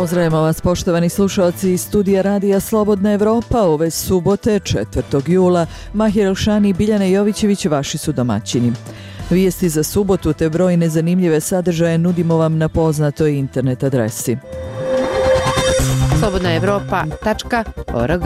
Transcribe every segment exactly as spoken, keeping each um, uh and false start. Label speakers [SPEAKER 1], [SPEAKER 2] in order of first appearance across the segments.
[SPEAKER 1] Pozdravljamo vas poštovani slušalci iz studija Radija Slobodna Evropa. Ove subote, četvrtog jula, Mahir Elšani i Biljana Jovićević vaši su domaćini. Vijesti za subotu te brojne zanimljive sadržaje nudimo vam na poznatoj internet adresi
[SPEAKER 2] slobodna evropa tačka org.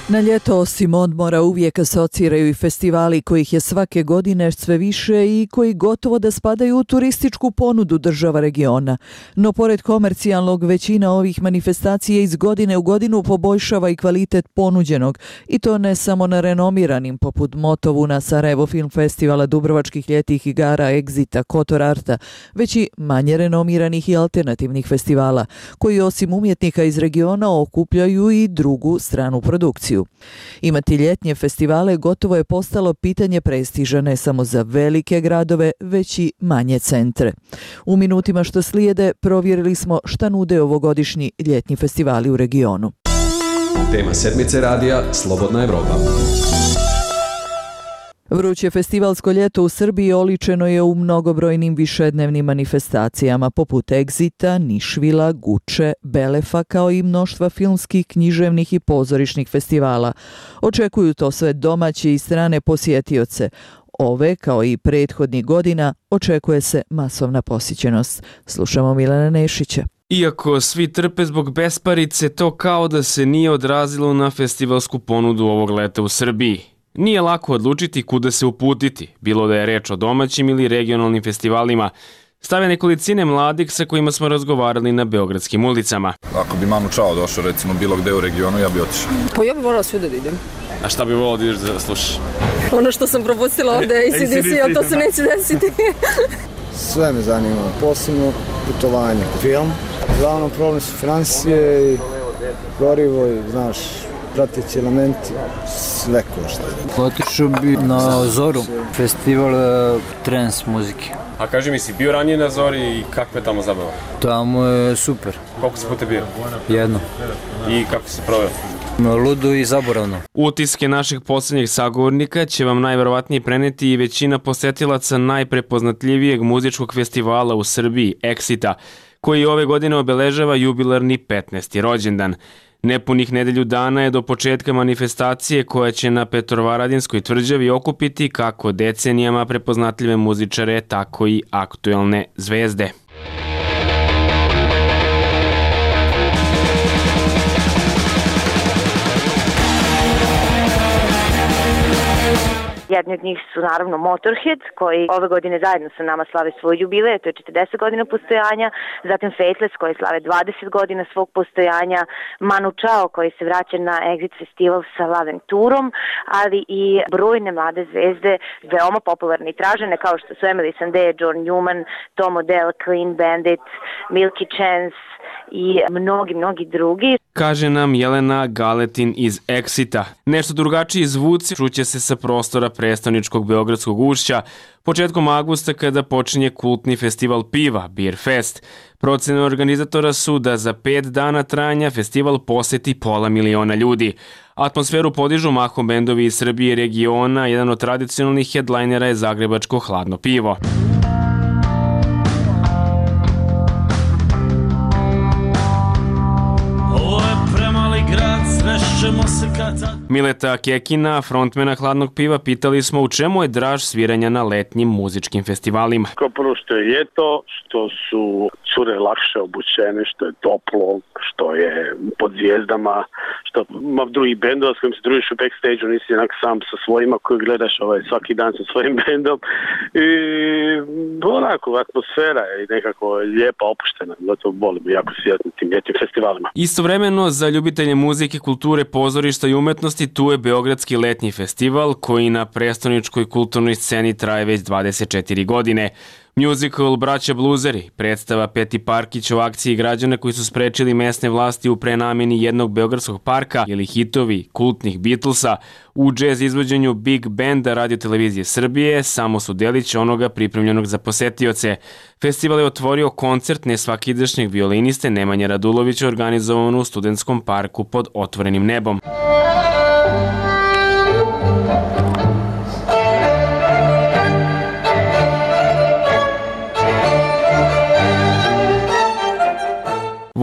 [SPEAKER 1] Na ljeto osim odmora uvijek asociraju i festivali kojih je svake godine sve više i koji gotovo da spadaju u turističku ponudu država regiona. No pored komercijalnog, većina ovih manifestacija iz godine u godinu poboljšava i kvalitet ponuđenog, i to ne samo na renomiranim poput Motovuna, Sarajevo Film Festivala, Dubrovačkih ljetnih igara, Exita, Kotor Arta, već i manje renomiranih i alternativnih festivala, koji osim umjetnika iz regiona okupljaju i drugu stranu produkciju. Imati ljetnje festivale gotovo je postalo pitanje prestiža ne samo za velike gradove, već i manje centre. U minutima što slijede provjerili smo šta nude ovogodišnji ljetnji festivali u regionu.
[SPEAKER 3] Tema sedmice radija Slobodna Evropa.
[SPEAKER 1] Vruće festivalsko ljeto u Srbiji oličeno je u mnogobrojnim višednevnim manifestacijama poput Exita, Nišvila, Guče, Belefa, kao i mnoštva filmskih, književnih i pozorišnih festivala. Očekuju to sve domaće i strane posjetioce. Ove, kao i prethodnih godina, očekuje se masovna posjećenost. Slušamo Milana Nešića.
[SPEAKER 4] Iako svi trpe zbog besparice, to kao da se nije odrazilo na festivalsku ponudu ovog leta u Srbiji. Nije lako odlučiti kuda se uputiti, bilo da je reč o domaćim ili regionalnim festivalima. Stave nekolicine mladih sa kojima smo razgovarali na beogradskim ulicama.
[SPEAKER 5] Ako bi Manu Chao došao recimo bilo gde u regionu, ja bi otišao.
[SPEAKER 6] Pa ja bi volala svuda da idem.
[SPEAKER 4] A šta bi volao da ideš da slušaš?
[SPEAKER 6] Ono što sam propustila ovde, A C D C, ali to se neće desiti.
[SPEAKER 7] Sve me zanima, posebno putovanje, film. Glavno problem su financije i gorivo i, znaš, prateći elementi, sve košta.
[SPEAKER 8] Otišao bi na Zoru, festival trans muzike.
[SPEAKER 4] A kaži mi, si bio ranije na Zori i kakva je tamo zabava?
[SPEAKER 8] Tamo je super.
[SPEAKER 4] Koliko si puta bio?
[SPEAKER 8] Jedno.
[SPEAKER 4] I kako si proveo?
[SPEAKER 8] Ludo i zaboravno.
[SPEAKER 4] Utiske naših posljednjih sagovornika će vam najverovatnije preneti i većina posetilaca najprepoznatljivijeg muzičkog festivala u Srbiji, Exita, koji ove godine obeležava jubilarni petnaesti rođendan. Nepunih nedelju dana je do početka manifestacije koja će na Petrovaradinskoj tvrđavi okupiti kako decenijama prepoznatljive muzičare, tako i aktuelne zvezde.
[SPEAKER 9] Jedni od njih su naravno Motorhead, koji ove godine zajedno sa nama slave svoj jubilej, to je četrdeset godina postojanja, zatim Faithless koji slave dvadeset godina svog postojanja, Manu Chao koji se vraća na Exit festival sa Love Tourom, ali i brojne mlade zvezde, veoma popularne i tražene kao što su Emily Sandé, John Newman, Tom Odell, Clean Bandit, Milky Chance i mnogi, mnogi drugi.
[SPEAKER 4] Kaže nam Jelena Galetin iz Exita. Nešto drugačiji zvuci čuće se sa prostora prestoničkog Beogradskog ušća početkom avgusta kada počinje kultni festival piva, Beer Fest. Procene organizatora su da za pet dana trajanja festival poseti pola miliona ljudi. Atmosferu podižu mahom bendovi iz Srbije i regiona, jedan od tradicionalnih headlinera je zagrebačko Hladno pivo. Mileta Kekina, frontmena Hladnog piva, pitali smo u čemu je draž sviranja na letnjim muzičkim festivalima.
[SPEAKER 10] Kao prvo što je ljeto, što su cure lakše obučene, što je toplo, što je pod zvijezdama, što ima drugih bendova s kojim se družiš u backstage-u, nisi jednak sam sa svojima koji gledaš ovaj, svaki dan sa svojim bendom. I onako, atmosfera je nekako lijepa, opuštena. Zato volimo jako svirati na tim ljetnim festivalima.
[SPEAKER 4] Istovremeno, za ljubitelje muzike, kulture, pozorišta i umetnosti, tu je Beogradski letnji festival koji na prestoničkoj kulturnoj sceni traje već dvadeset četiri godine. Musical Braća Bluzeri, predstava Peti Parkić o akciji građana koji su sprečili mesne vlasti u prenamjeni jednog beogradskog parka ili hitovi kultnih Beatlesa u džez izvođenju Big Banda Radio Televizije Srbije samo su delić onoga pripremljenog za posetioce. Festival je otvorio koncert nesvakidašnjeg violiniste Nemanje Radulovića organizovan u Studentskom parku pod otvorenim nebom.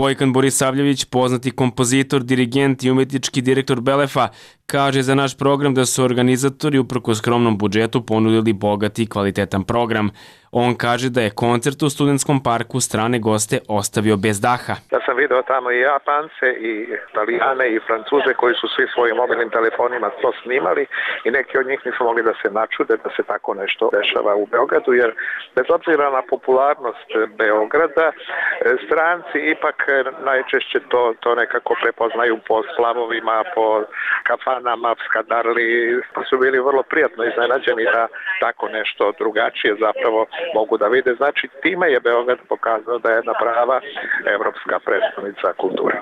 [SPEAKER 4] Vojkan Borisavljević, poznati kompozitor, dirigent i umjetnički direktor Belefa, kaže za naš program da su organizatori uprkos skromnom budžetu ponudili bogat i kvalitetan program. On kaže da je koncert u Studentskom parku strane goste ostavio bez daha.
[SPEAKER 11] Ja sam video tamo i Japance, i Italijane, i Francuze koji su svi svojim mobilnim telefonima to snimali i neki od njih nisu mogli da se načude da se tako nešto dešava u Beogradu, jer bez obzira na popularnost Beograda, stranci ipak najčešće to, to nekako prepoznaju po splavovima, po kafanama, skadarli, pa su bili vrlo prijatno iznenađeni da tako nešto drugačije zapravo mogu da vide. Znači, time je Beograd pokazao da je jedna prava evropska predstavnica kulture.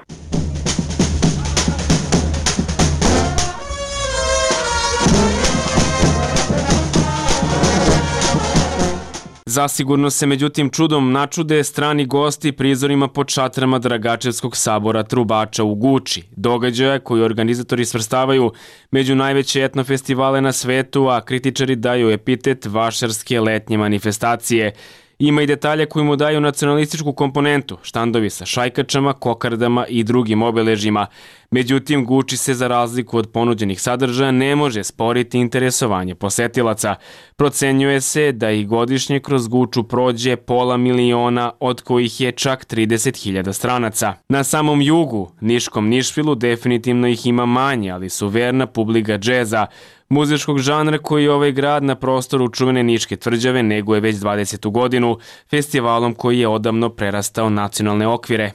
[SPEAKER 4] Zasigurno se međutim čudom načude strani gosti prizorima pod šatrama Dragačevskog sabora Trubača u Guči, događaja koji organizatori svrstavaju među najveće etno festivale na svetu, a kritičari daju epitet vašarske letnje manifestacije. Ima i detalje koji mu daju nacionalističku komponentu, štandovi sa šajkačama, kokardama i drugim obeležjima. Međutim, Guči se za razliku od ponuđenih sadržaja ne može sporiti interesovanje posetilaca. Procenjuje se da i godišnje kroz Guču prođe pola miliona, od kojih je čak trideset hiljada stranaca. Na samom jugu, Niškom Nišvilu, definitivno ih ima manje, ali su verna publika džeza, muzičkog žanra koji ovaj grad na prostoru čuvene Niške tvrđave neguje već dvadesetu godinu, festivalom koji je odavno prerastao nacionalne okvire.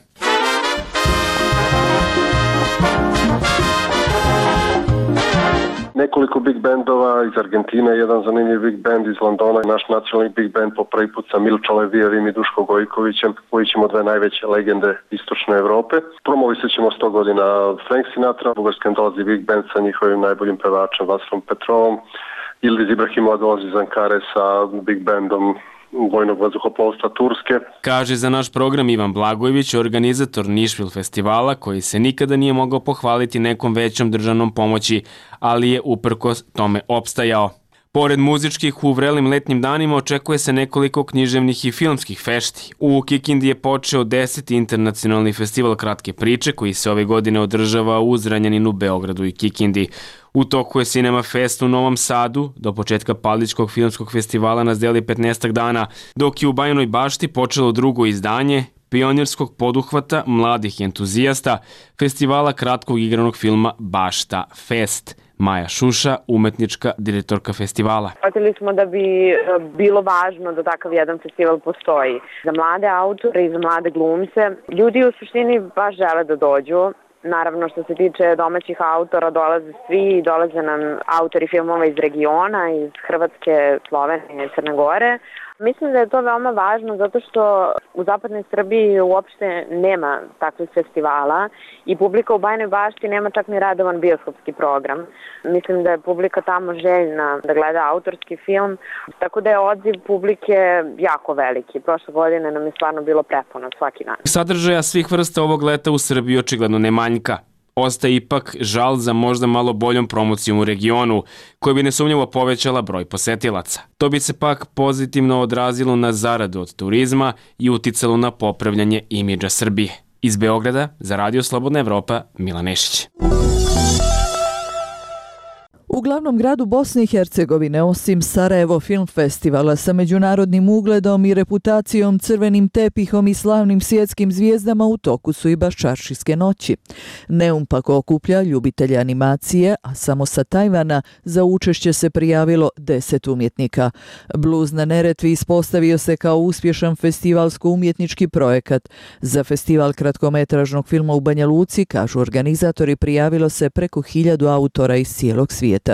[SPEAKER 12] Nekoliko big bandova iz Argentine, jedan zanimljiv big band iz Londona, naš nacionalni big band po prvi put sa Milčo Levijevim i Duško Gojkovićem, koji ćemo dve najveće legende istočne Evrope. Promovisit ćemo sto godina Frank Sinatra, u Bugarskom dolazi big band sa njihovim najboljim pevačem Vasrom Petrovom, Ildiz Ibrahimova dolazi iz Ankare sa big bandom vojnog vazduhoplovstva Turske.
[SPEAKER 4] Kaže za naš program Ivan Blagojević, organizator Nišvil festivala, koji se nikada nije mogao pohvaliti nekom većom državnom pomoći, ali je uprkos tome opstajao. Pored muzičkih, u vrelim letnjim danima očekuje se nekoliko književnih i filmskih fešti. U Kikindi je počeo deseti internacionalni festival kratke priče, koji se ove godine održava u Zranjaninu, Beogradu i Kikindi. U toku je Cinema Fest u Novom Sadu, do početka Paličkog filmskog festivala nas deli petnaestak dana, dok je u Bajinoj Bašti počelo drugo izdanje pionirskog poduhvata mladih entuzijasta festivala kratkog igranog filma Bašta Fest. Maja Šuša, umetnička direktorka festivala.
[SPEAKER 13] Shvatili smo da bi bilo važno da takav jedan festival postoji. Za mlade autore i za mlade glumce. Ljudi u suštini baš žele da dođu. Naravno, što se tiče domaćih autora, dolaze svi, dolaze nam autori filmova iz regiona, iz Hrvatske, Slovenije i Crne Gore. Mislim da je to veoma važno zato što u zapadnoj Srbiji uopšte nema takvih festivala i publika u Bajinoj Bašti nema čak ni redovan bioskopski program. Mislim da je publika tamo željna da gleda autorski film, tako da je odziv publike jako veliki. Prošle godine nam je stvarno bilo prepuno svaki dan.
[SPEAKER 4] Sadržaja svih vrsta ovog leta u Srbiji očigledno ne manjka. Ostaje ipak žal za možda malo boljom promocijom u regionu, koja bi nesumnjivo povećala broj posetilaca. To bi se pak pozitivno odrazilo na zaradu od turizma i uticalo na popravljanje imidža Srbije. Iz Beograda, za Radio Slobodna Evropa, Milan Nešić.
[SPEAKER 1] U glavnom gradu Bosne i Hercegovine, osim Sarajevo Film Festivala sa međunarodnim ugledom i reputacijom, crvenim tepihom i slavnim svjetskim zvijezdama, u toku su i Baščaršijske noći. Neum pak okuplja ljubitelje animacije, a samo sa Tajvana za učešće se prijavilo deset umjetnika. Bluz na Neretvi ispostavio se kao uspješan festivalsko-umjetnički projekat. Za festival kratkometražnog filma u Banja Luci, kažu organizatori, prijavilo se preko hiljadu autora iz cijelog svijeta.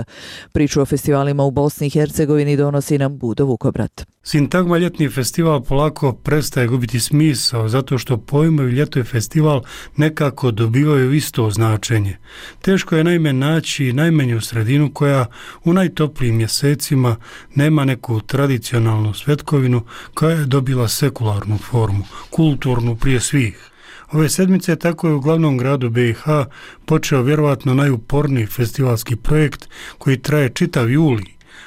[SPEAKER 1] Priču o festivalima u Bosni i Hercegovini donosi nam Budo Vukobrat.
[SPEAKER 14] Sintagma ljetni festival polako prestaje gubiti smisao zato što pojmovi ljeto i festival nekako dobivaju isto značenje. Teško je naime naći najmanju sredinu koja u najtoplijim mjesecima nema neku tradicionalnu svetkovinu koja je dobila sekularnu formu, kulturnu prije svih. Ove sedmice tako je u glavnom gradu B i H počeo vjerovatno najuporniji festivalski projekt koji traje čitav juli,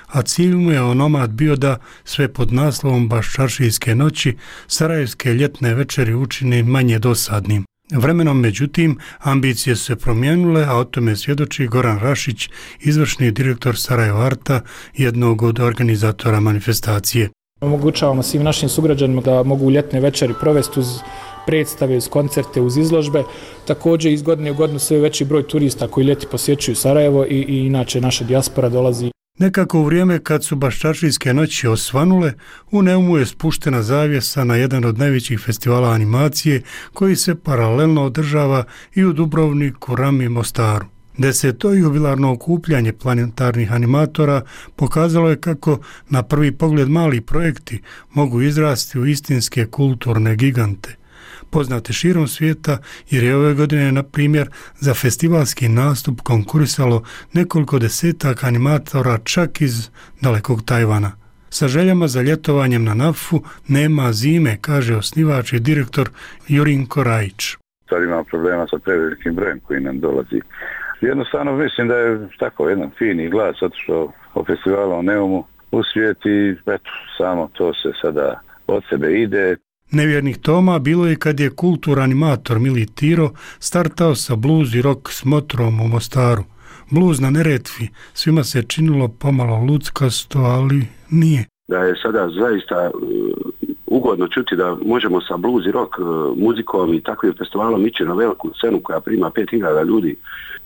[SPEAKER 14] a cilj mu je onomad bio da sve pod naslovom Baščaršijske noći sarajevske ljetne večeri učini manje dosadnim. Vremenom, međutim, ambicije su se promijenile, a o tome svjedoči Goran Rašić, izvršni direktor Sarajevo Arta, jednog od organizatora manifestacije.
[SPEAKER 15] Omogućavamo svim našim sugrađanima da mogu ljetne večeri provesti uz predstave, uz koncerte, uz izložbe. Također iz godine u godinu sve veći broj turista koji ljeti posjećuju Sarajevo i, i inače naša dijaspora dolazi.
[SPEAKER 14] Nekako u vrijeme kad su Baščašijske noći osvanule, u Neumu je spuštena zavjesa na jedan od najvećih festivala animacije koji se paralelno održava i u Dubrovniku, Rami, Mostaru. Deseto jubilarno okupljanje planetarnih animatora pokazalo je kako na prvi pogled mali projekti mogu izrasti u istinske kulturne gigante. Poznate širom svijeta, jer je ove godine, na primjer, za festivalski nastup konkurisalo nekoliko desetaka animatora čak iz dalekog Tajvana. Sa željama za ljetovanjem na Nafu nema zime, kaže osnivač i direktor Jurinko Rajić.
[SPEAKER 16] Sad imamo problema sa prevelikim brojem koji nam dolazi. Jednostavno mislim da je tako jedan fini glas otišao o festivalu u Neumu u svijet i eto, samo to se sada od sebe ide.
[SPEAKER 14] Nevjernih Toma bilo je kad je kulturanimator Mili Tiro startao sa blues i rock smotrom u Mostaru. Blues na Neretvi svima se činilo pomalo luckasto, ali nije.
[SPEAKER 17] Da je sada zaista uh, ugodno čuti da možemo sa blues i rock uh, muzikom i takvim festivalom ići na veliku scenu koja prima pet hiljada ljudi.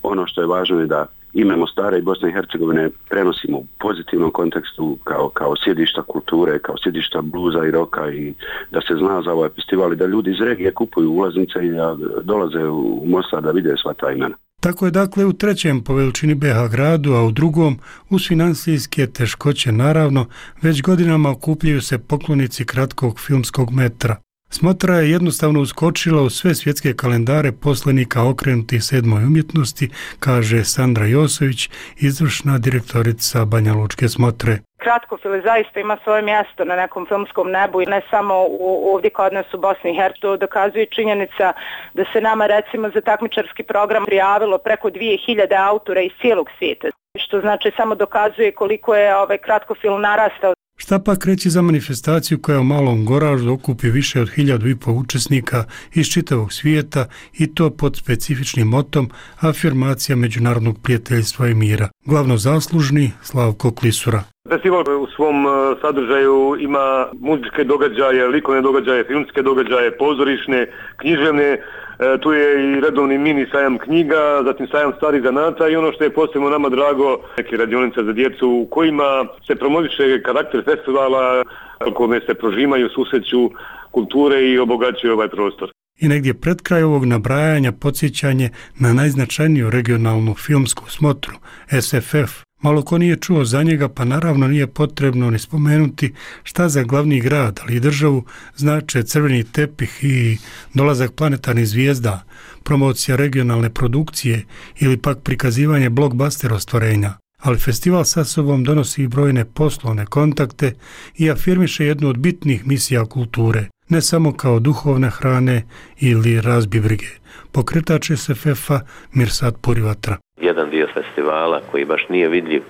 [SPEAKER 17] Ono što je važno je da ime Mostara i Bosne i Hercegovine prenosimo u pozitivnom kontekstu kao, kao sjedišta kulture, kao sjedišta bluza i roka i da se zna za ovaj festival i da ljudi iz regije kupuju ulaznice i da dolaze u Mostar da vide sva ta imena.
[SPEAKER 14] Tako je dakle u trećem po veličini B iH gradu, a u drugom, uz financijske teškoće naravno, već godinama okupljaju se poklonici kratkog filmskog metra. Smotra je jednostavno uskočila u sve svjetske kalendare poslenika okrenutih sedmoj umjetnosti, kaže Sandra Josović, izvršna direktorica Banja Lučke Smotre.
[SPEAKER 18] Kratkofil zaista ima svoje mjesto na nekom filmskom nebu i ne samo u, ovdje kod nas u Bosni i Hercegovini. Dokazuje činjenica da se nama recimo za takmičarski program prijavilo preko dvije hiljade autora iz cijelog svijeta, što znači samo dokazuje koliko je ovaj kratkofil narastao.
[SPEAKER 14] Šta pak reći za manifestaciju koja u Malom Goraždu okupi više od hiljadu i pol učesnika iz čitavog svijeta i to pod specifičnim motom afirmacija međunarodnog prijateljstva i mira. Glavno zaslužni Slavko Klisura.
[SPEAKER 19] Festival u svom sadržaju ima muzičke događaje, likovne događaje, filmske događaje, pozorišne, književne. E, tu je i redovni mini sajam knjiga, zatim sajam starih zanata i ono što je posebno nama drago, neke radionice za djecu u kojima se promoviše karakter festivala, u kome se prožimaju, susreću kulture i obogaćuju ovaj prostor.
[SPEAKER 14] I negdje pred kraj ovog nabrajanja podsjećanje na najznačajniju regionalnu filmsku smotru, S F F. Malo ko nije čuo za njega, pa naravno nije potrebno ni spomenuti šta za glavni grad, ali i državu znače crveni tepih i dolazak planetarnih zvijezda, promocija regionalne produkcije ili pak prikazivanje blockbuster ostvarenja. Ali festival sa sobom donosi i brojne poslovne kontakte i afirmiše jednu od bitnih misija kulture, ne samo kao duhovne hrane ili razbibrige. Pokretač S F F-a Mirsad Purivatra.
[SPEAKER 20] Jedan dio festivala koji baš nije vidljiv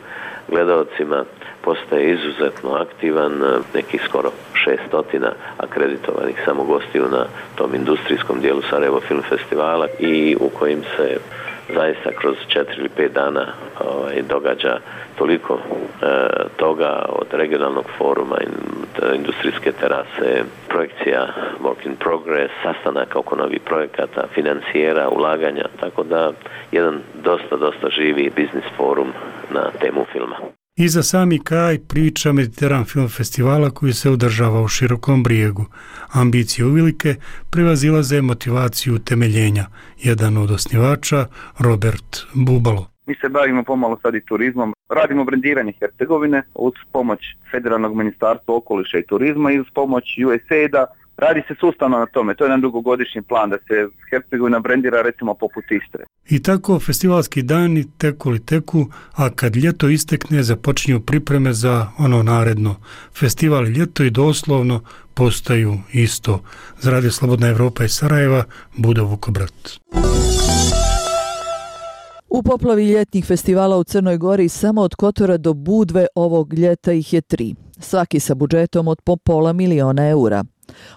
[SPEAKER 20] gledalcima postaje izuzetno aktivan, nekih skoro šestotina akreditovanih samo gostiju na tom industrijskom dijelu Sarajevo Film Festivala i u kojim se zaista kroz četiri ili pet dana ovaj, događa toliko e, toga od regionalnog foruma, industrijske terase, projekcija work in progress, sastanaka oko novih projekata, financijera, ulaganja, tako da jedan dosta, dosta živi biznis forum na temu filma.
[SPEAKER 14] I za sami kraj priča Mediteran Film Festivala koji se održava u Širokom Brijegu. Ambicije uvelike prevazilaze motivaciju utemeljenja. Jedan od osnivača, Robert Bubalo.
[SPEAKER 21] Mi se bavimo pomalo sad i turizmom. Radimo brendiranje Hercegovine uz pomoć Federalnog ministarstva okoliša i turizma i uz pomoć U S A I D-a. Radi se sustavno na tome, to je jedan dugogodišnji plan da se Hercegovina brendira recimo poput Istre.
[SPEAKER 14] I tako festivalski dani teku li teku, a kad ljeto istekne započinju pripreme za ono naredno. Festival i ljeto i doslovno postaju isto. Za Radio Slobodna Evropa iz Sarajeva, Budo Vukobrat.
[SPEAKER 1] U poplavi ljetnih festivala u Crnoj Gori samo od Kotora do Budve ovog ljeta ih je tri. Svaki sa budžetom od po pola miliona eura.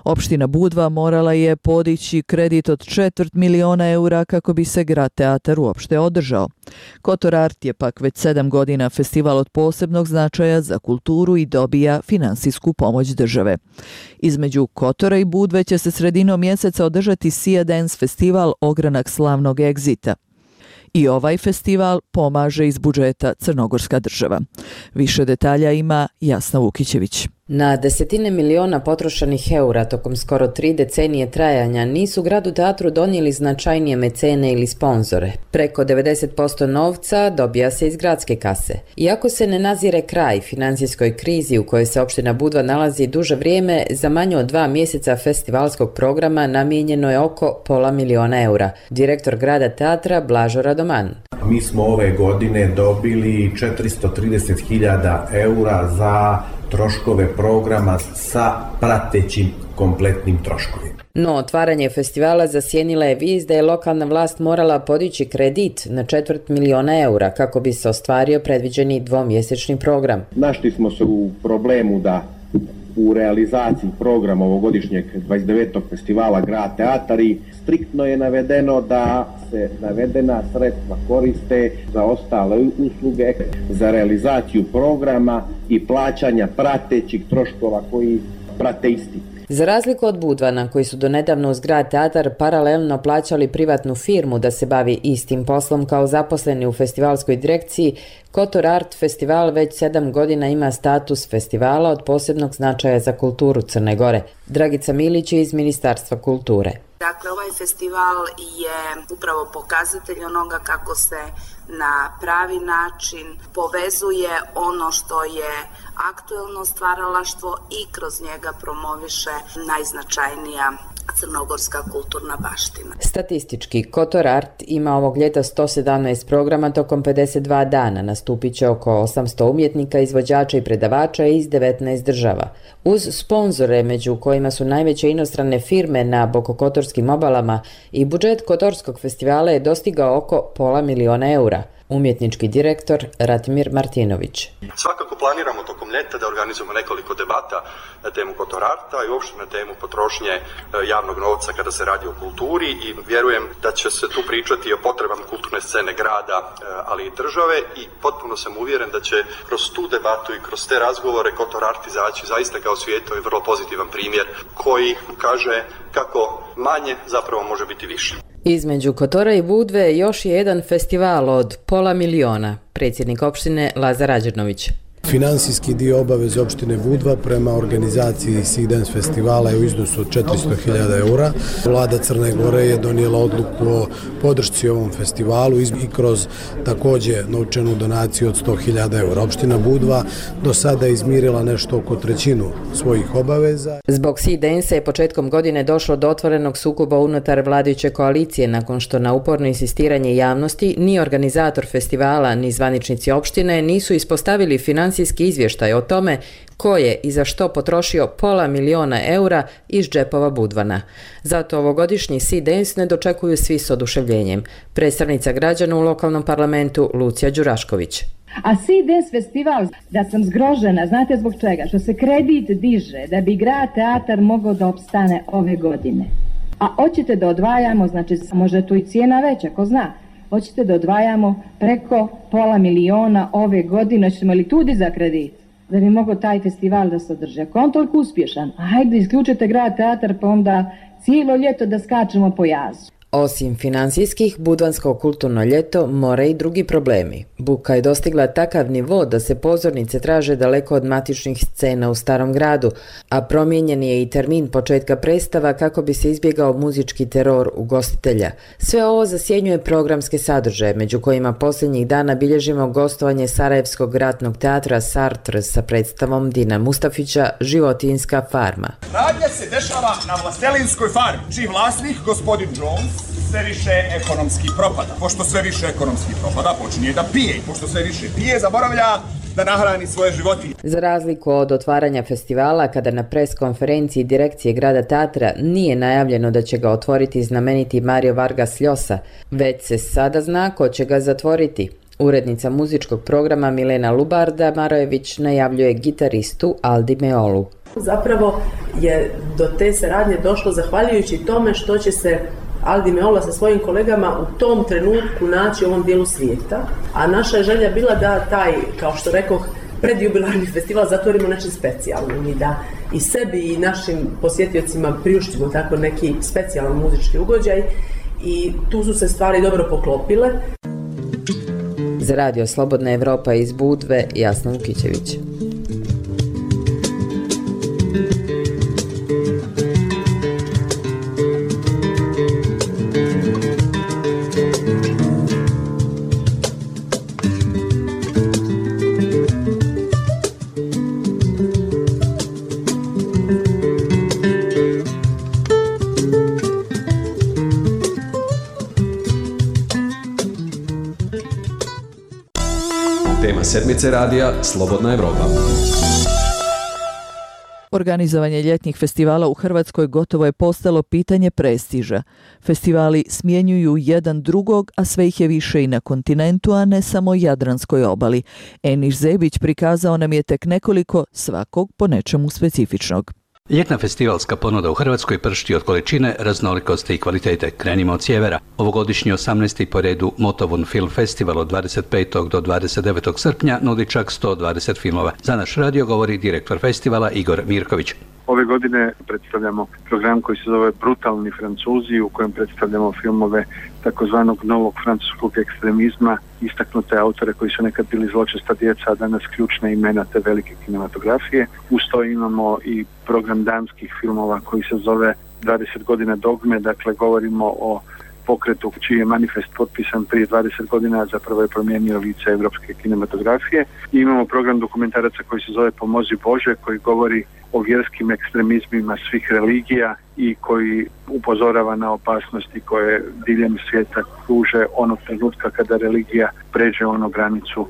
[SPEAKER 1] Opština Budva morala je podići kredit od četvrt miliona eura kako bi se grad teatar uopšte održao. Kotor Art je pak već sedam godina festival od posebnog značaja za kulturu i dobija finansijsku pomoć države. Između Kotora i Budve će se sredinom mjeseca održati Sea Dance festival Ogranak slavnog egzita. I ovaj festival pomaže iz budžeta Crnogorska država. Više detalja ima Jasna Vukićević.
[SPEAKER 2] Na desetine miliona potrošenih eura tokom skoro tri decenije trajanja nisu gradu teatru donijeli značajnije mecene ili sponzore. Preko devedeset posto novca dobija se iz gradske kase. Iako se ne nazire kraj financijskoj krizi u kojoj se opština Budva nalazi duže vrijeme, za manje od dva mjeseca festivalskog programa namijenjeno je oko pola miliona eura. Direktor grada teatra Blažo Radoman.
[SPEAKER 22] Mi smo ove godine dobili četiristo trideset hiljada eura za troškove programa sa pratećim kompletnim troškovima.
[SPEAKER 2] No, otvaranje festivala zasjenila je vijest da je lokalna vlast morala podići kredit na četvrt miliona eura kako bi se ostvario predviđeni dvomjesečni program.
[SPEAKER 22] Našli smo se u problemu da u realizaciji programa ovogodišnjeg dvadeset devetog festivala Grad teatar i striktno je navedeno da se navedena sredstva koriste za ostale usluge, za realizaciju programa i plaćanja pratećih troškova koji prate isti.
[SPEAKER 2] Za razliku od Budvana, koji su donedavno uz Grad teatar paralelno plaćali privatnu firmu da se bavi istim poslom kao zaposleni u festivalskoj direkciji, Kotor Art festival već sedam godina ima status festivala od posebnog značaja za kulturu Crne Gore. Dragica Milić je iz Ministarstva kulture.
[SPEAKER 23] Dakle, ovaj festival je upravo pokazatelj onoga kako se na pravi način povezuje ono što je aktuelno stvaralaštvo i kroz njega promoviše najznačajnija crnogorska kulturna baština.
[SPEAKER 2] Statistički, Kotor Art ima ovog ljeta sto sedamnaest programa tokom pedeset dva dana. Nastupit će oko osamsto umjetnika, izvođača i predavača iz devetnaest država. Uz sponzore, među kojima su najveće inostrane firme na bokokotorskim obalama, i budžet Kotorskog festivala je dostigao oko pola miliona eura. Umjetnički direktor Ratimir Martinović.
[SPEAKER 24] Svakako planiramo tokom ljeta da organizujemo nekoliko debata na temu Kotor Arta i uopšte na temu potrošnje javnog novca kada se radi o kulturi i vjerujem da će se tu pričati o potrebama kulturne scene grada, ali i države i potpuno sam uvjeren da će kroz tu debatu i kroz te razgovore Kotor Art izaći zaista kao svijetlo i vrlo pozitivan primjer koji kaže kako manje zapravo može biti više.
[SPEAKER 2] Između Kotora i Budve još je jedan festival od pola miliona, predsjednik opštine Lazar Rađernović.
[SPEAKER 25] Finansijski dio obaveze opštine Budva prema organizaciji Sea Dance festivala je u iznosu od četiristo hiljada eura. Vlada Crne Gore je donijela odluku o podršci ovom festivalu i kroz također novčanu donaciju od sto hiljada eura. Opština Budva do sada je izmirila nešto oko trećinu svojih obaveza.
[SPEAKER 2] Zbog Sea Dance je početkom godine došlo do otvorenog sukoba unutar vladajuće koalicije nakon što na uporno insistiranje javnosti ni organizator festivala ni zvaničnici opštine nisu ispostavili finansijski izvještaj o tome ko je i za što potrošio pola miliona eura iz džepova Budvana. Zato ovogodišnji Sea Dance ne dočekuju svi s oduševljenjem. Predstavnica građana u lokalnom parlamentu Lucija Đurašković.
[SPEAKER 26] A Sea Dance festival, da sam zgrožena, znate zbog čega? Što se kredit diže da bi Grad teatar mogao da opstane ove godine. A hoćete da odvajamo, znači možda tu i cijena veća, ko zna, hoćete da odvajamo preko pola miliona ove godine, ćemo li tudi za kredit, da bi mogao taj festival da se održi. Ako on toliko uspješan, hajde isključite Grad teatar pa onda cijelo ljeto da skačemo po jazu.
[SPEAKER 2] Osim finansijskih, Budvansko kulturno ljeto mora i drugi problemi. Buka je dostigla takav nivo da se pozornice traže daleko od matičnih scena u Starom gradu, a promijenjen je i termin početka predstava kako bi se izbjegao muzički teror ugostitelja. Sve ovo zasjenjuje programske sadržaje, među kojima posljednjih dana bilježimo gostovanje Sarajevskog ratnog teatra Sartre sa predstavom Dina Mustafića Životinjska farma.
[SPEAKER 27] Radnja se dešava na Vlastelinskoj farmi, čiji vlasnik, gospodin Jones, sve više ekonomski propada. Pošto sve više ekonomski propada, počinje da pije i pošto sve više pije, zaboravlja da nahrani svoje životinje.
[SPEAKER 2] Za razliku od otvaranja festivala, kada na pres konferenciji direkcije Grada teatra nije najavljeno da će ga otvoriti znameniti Mario Vargas Llosa, već se sada zna ko će ga zatvoriti. Urednica muzičkog programa Milena Lubarda Marojević najavljuje gitaristu Aldi Meolu.
[SPEAKER 3] Zapravo je do te saradnje došlo zahvaljujući tome što će se Aldi Meola sa svojim kolegama u tom trenutku naći u ovom dijelu svijeta, a naša je želja bila da taj, kao što rekoh, predjubilarni festival zatvorimo nečim specijalnim i da i sebi i našim posjetiocima priuštimo tako neki specijalan muzički ugođaj i tu su se stvari dobro poklopile.
[SPEAKER 2] Za Radio Slobodna Evropa iz Budve, Jasna Vukićević.
[SPEAKER 5] Sedmice radija Slobodna Evropa.
[SPEAKER 1] Organizovanje ljetnih festivala u Hrvatskoj gotovo je postalo pitanje prestiža. Festivali smjenjuju jedan drugog, a sve ih je više i na kontinentu, a ne samo Jadranskoj obali. Eniš Zebić prikazao nam je tek nekoliko, svakog po nečemu specifičnog.
[SPEAKER 6] Ljetna festivalska ponuda u Hrvatskoj pršti od količine, raznolikosti i kvalitete. Krenimo od sjevera. Ovogodišnji osamnaesti po redu Motovun Film Festival od dvadeset petog do dvadeset devetog srpnja nudi čak sto dvadeset filmova. Za naš radio govori direktor festivala Igor Mirković.
[SPEAKER 7] Ove godine predstavljamo program koji se zove Brutalni Francuzi, u kojem predstavljamo filmove takozvanog novog francuskog ekstremizma, istaknute autore koji su nekad bili zločesta djeca, a danas ključne imena te velike kinematografije. Uz to imamo i program danskih filmova koji se zove dvadeset godina dogme, dakle govorimo o pokretu čiji je manifest potpisan prije dvadeset godina, zapravo je promijenio lice evropske kinematografije. I imamo program dokumentaraca koji se zove Pomozi Bože, koji govori o vjerskim ekstremizmima svih religija i koji upozorava na opasnosti koje diljem svijeta kruže onog trenutka kada religija pređe onu granicu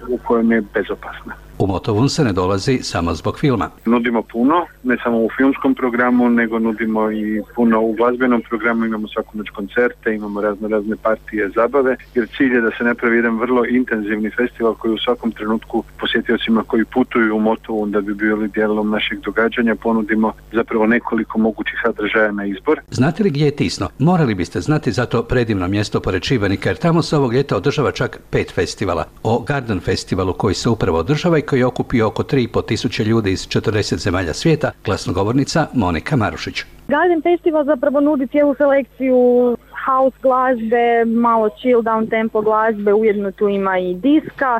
[SPEAKER 7] u kojem je bezopasna.
[SPEAKER 6] U Motovun se ne dolazi samo zbog filma.
[SPEAKER 7] Nudimo puno, ne samo u filmskom programu, nego nudimo i puno u glazbenom programu, imamo svaku noć koncerte, imamo razne razne partije zabave, jer cilj je da se napravi jedan vrlo intenzivni festival koji u svakom trenutku posjetiocima koji putuju u Motovun da bi bili dijelom našeg događanja ponudimo zapravo nekoliko mogućih sadržaja na izbor.
[SPEAKER 6] Znate li gdje je Tisno? Morali biste znati za to predivno mjesto pored Šibenika, jer tamo se ovog ljeta održava čak pet festivala. O Garden festivalu koji se upravo održava i koji je okupio oko tri i pol tisuće ljudi iz četrdeset zemalja svijeta, glasnogovornica Monika Marušić.
[SPEAKER 8] Garden Festival zapravo nudi cijelu selekciju house glazbe, malo chill down tempo glazbe, ujedno tu ima i diska,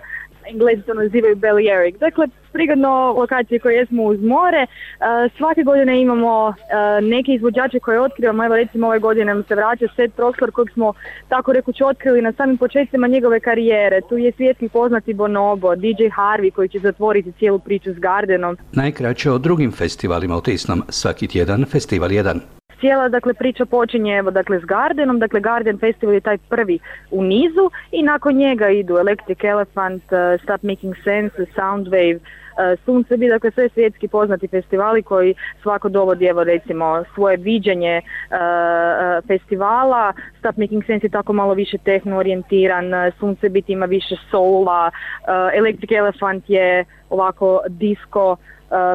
[SPEAKER 8] Englezi to nazivaju Balearic. Dakle, prigodno lokacije koje jesmo uz more. Uh, svake godine imamo uh, neke izvođače koje otkrivamo. Evo recimo ove godine nam se vraća Seth Troxler kojeg smo tako rekući otkrili na samim početcima njegove karijere. Tu je svjetski poznati Bonobo, D J Harvey koji će zatvoriti cijelu priču s Gardenom.
[SPEAKER 6] Najkraće o drugim festivalima u Tisnom. Svaki tjedan festival jedan.
[SPEAKER 8] Cijela dakle priča počinje evo dakle s Gardenom, dakle Garden Festival je taj prvi u nizu i nakon njega idu Electric Elephant, uh, Stop Making Sense, Soundwave, uh, Sunce bi, dakle sve svjetski poznati festivali koji svako dovodi evo recimo svoje viđenje uh, uh, festivala. Stop Making Sense je tako malo više tehno orijentiran, Sunce biti ima više soula, uh, Electric Elephant je ovako disco uh,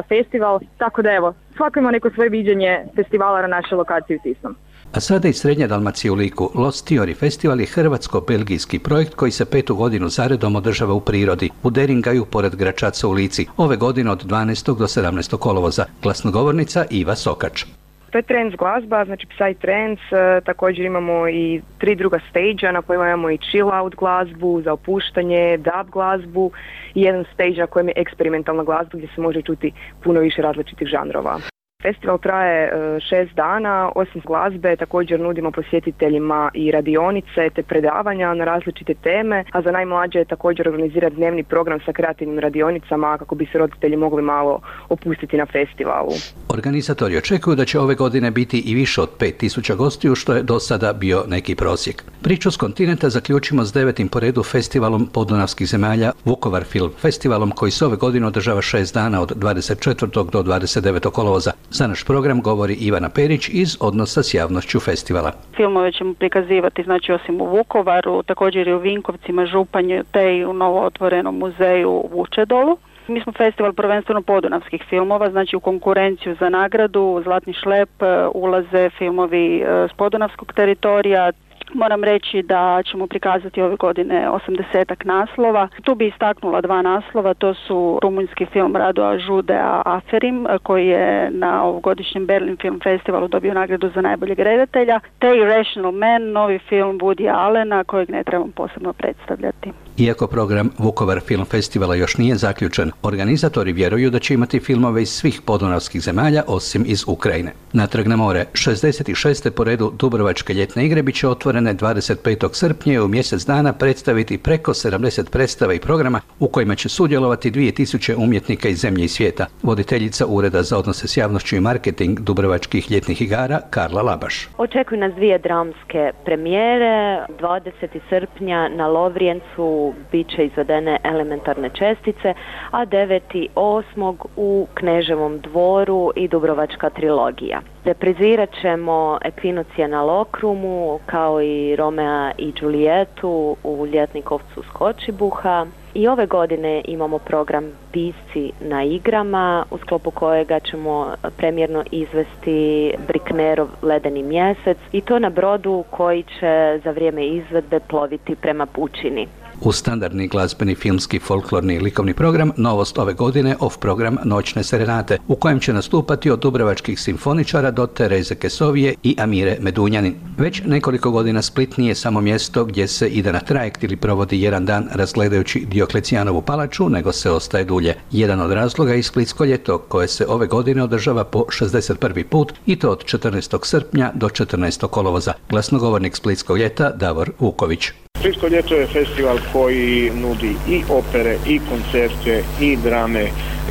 [SPEAKER 8] festival, tako da evo svako ima neko svoje viđenje festivala na našoj lokaciji u Tisnom.
[SPEAKER 6] A sada iz Srednje Dalmacije u Liku, Lost Theory Festival je hrvatsko-belgijski projekt koji se petu godinu zaredom održava u prirodi, u Deringaju pored Gračaca u Lici, ove godine od dvanaestog do sedamnaestog kolovoza. Glasnogovornica Iva Sokač.
[SPEAKER 9] To je trance glazba, znači psytrance, također imamo i tri druga stage-a na kojima imamo i chill out glazbu, za opuštanje, dub glazbu i jedan stage na kojem je eksperimentalna glazba gdje se može čuti puno više različitih žanrova. Festival traje šest dana, osim glazbe također nudimo posjetiteljima i radionice te predavanja na različite teme, a za najmlađe je također organiziran dnevni program sa kreativnim radionicama kako bi se roditelji mogli malo opustiti na festivalu.
[SPEAKER 6] Organizatori očekuju da će ove godine biti i više od pet tisuća gostiju, što je do sada bio neki prosjek. Priču s kontinenta zaključimo s devetim po redu festivalom podunavskih zemalja Vukovar Film Festivalom koji se ove godine održava šest dana od dvadeset četvrtog do dvadeset devetog kolovoza. Za naš program govori Ivana Perić iz Odnosa s javnošću festivala.
[SPEAKER 10] Filmove ćemo prikazivati znači osim u Vukovaru, također i u Vinkovcima, Županju te i u novo otvorenom muzeju u Vučedolu. Mi smo festival prvenstveno podunavskih filmova, znači u konkurenciju za nagradu Zlatni šlep ulaze filmovi s podunavskog teritorija. Moram reći da ćemo prikazati ove godine osamdesetak naslova. Tu bi istaknula dva naslova, to su rumunjski film Radoa Žudea Aferim, koji je na ovogodišnjem Berlin Film Festivalu dobio nagradu za najboljeg redatelja, te Irrational Man, novi film Woody Allena, kojeg ne trebam posebno predstavljati.
[SPEAKER 6] Iako program Vukovar Film Festivala još nije zaključen, organizatori vjeruju da će imati filmove iz svih podunavskih zemalja osim iz Ukrajine. Natrag na more, šezdeset šeste po redu Dubrovačke ljetne igre bit će otvorene dvadeset petog srpnja i u mjesec dana predstaviti preko sedamdeset predstava i programa u kojima će sudjelovati dvije tisuće umjetnika iz zemlje i svijeta. Voditeljica Ureda za odnose s javnošću i marketing Dubrovačkih ljetnih igara Karla Labaš.
[SPEAKER 4] Očekuju nas dvije dramske premijere. dvadesetog srpnja na Lovrijencu bit će izvedene Elementarne čestice, a devetog osmog u Kneževom dvoru i Dubrovačka trilogija. Reprizirat ćemo Ekvinocija na Lokrumu, kao i Romea i Džulijetu u Ljetnikovcu s Kočibuha. I ove godine imamo program Pisci na igrama, u sklopu kojega ćemo premijerno izvesti Briknerov Ledeni mjesec, i to na brodu koji će za vrijeme izvedbe ploviti prema pučini.
[SPEAKER 6] U standardni glazbeni, filmski, folklorni i likovni program novost ove godine off program Noćne serenate, u kojem će nastupati od dubrovačkih simfoničara do Tereze Kesovije i Amire Medunjanin. Već nekoliko godina Split nije samo mjesto gdje se ide na trajekt ili provodi jedan dan razgledajući Dioklecijanovu palaču, nego se ostaje dulje. Jedan od razloga je Splitsko ljeto, koje se ove godine održava po šezdeset prvi put, i to od četrnaestog srpnja do četrnaestog kolovoza. Glasnogovornik Splitskog ljeta Davor Vuković.
[SPEAKER 11] Splitsko ljeto je festival koji nudi i opere, i koncerte, i drame,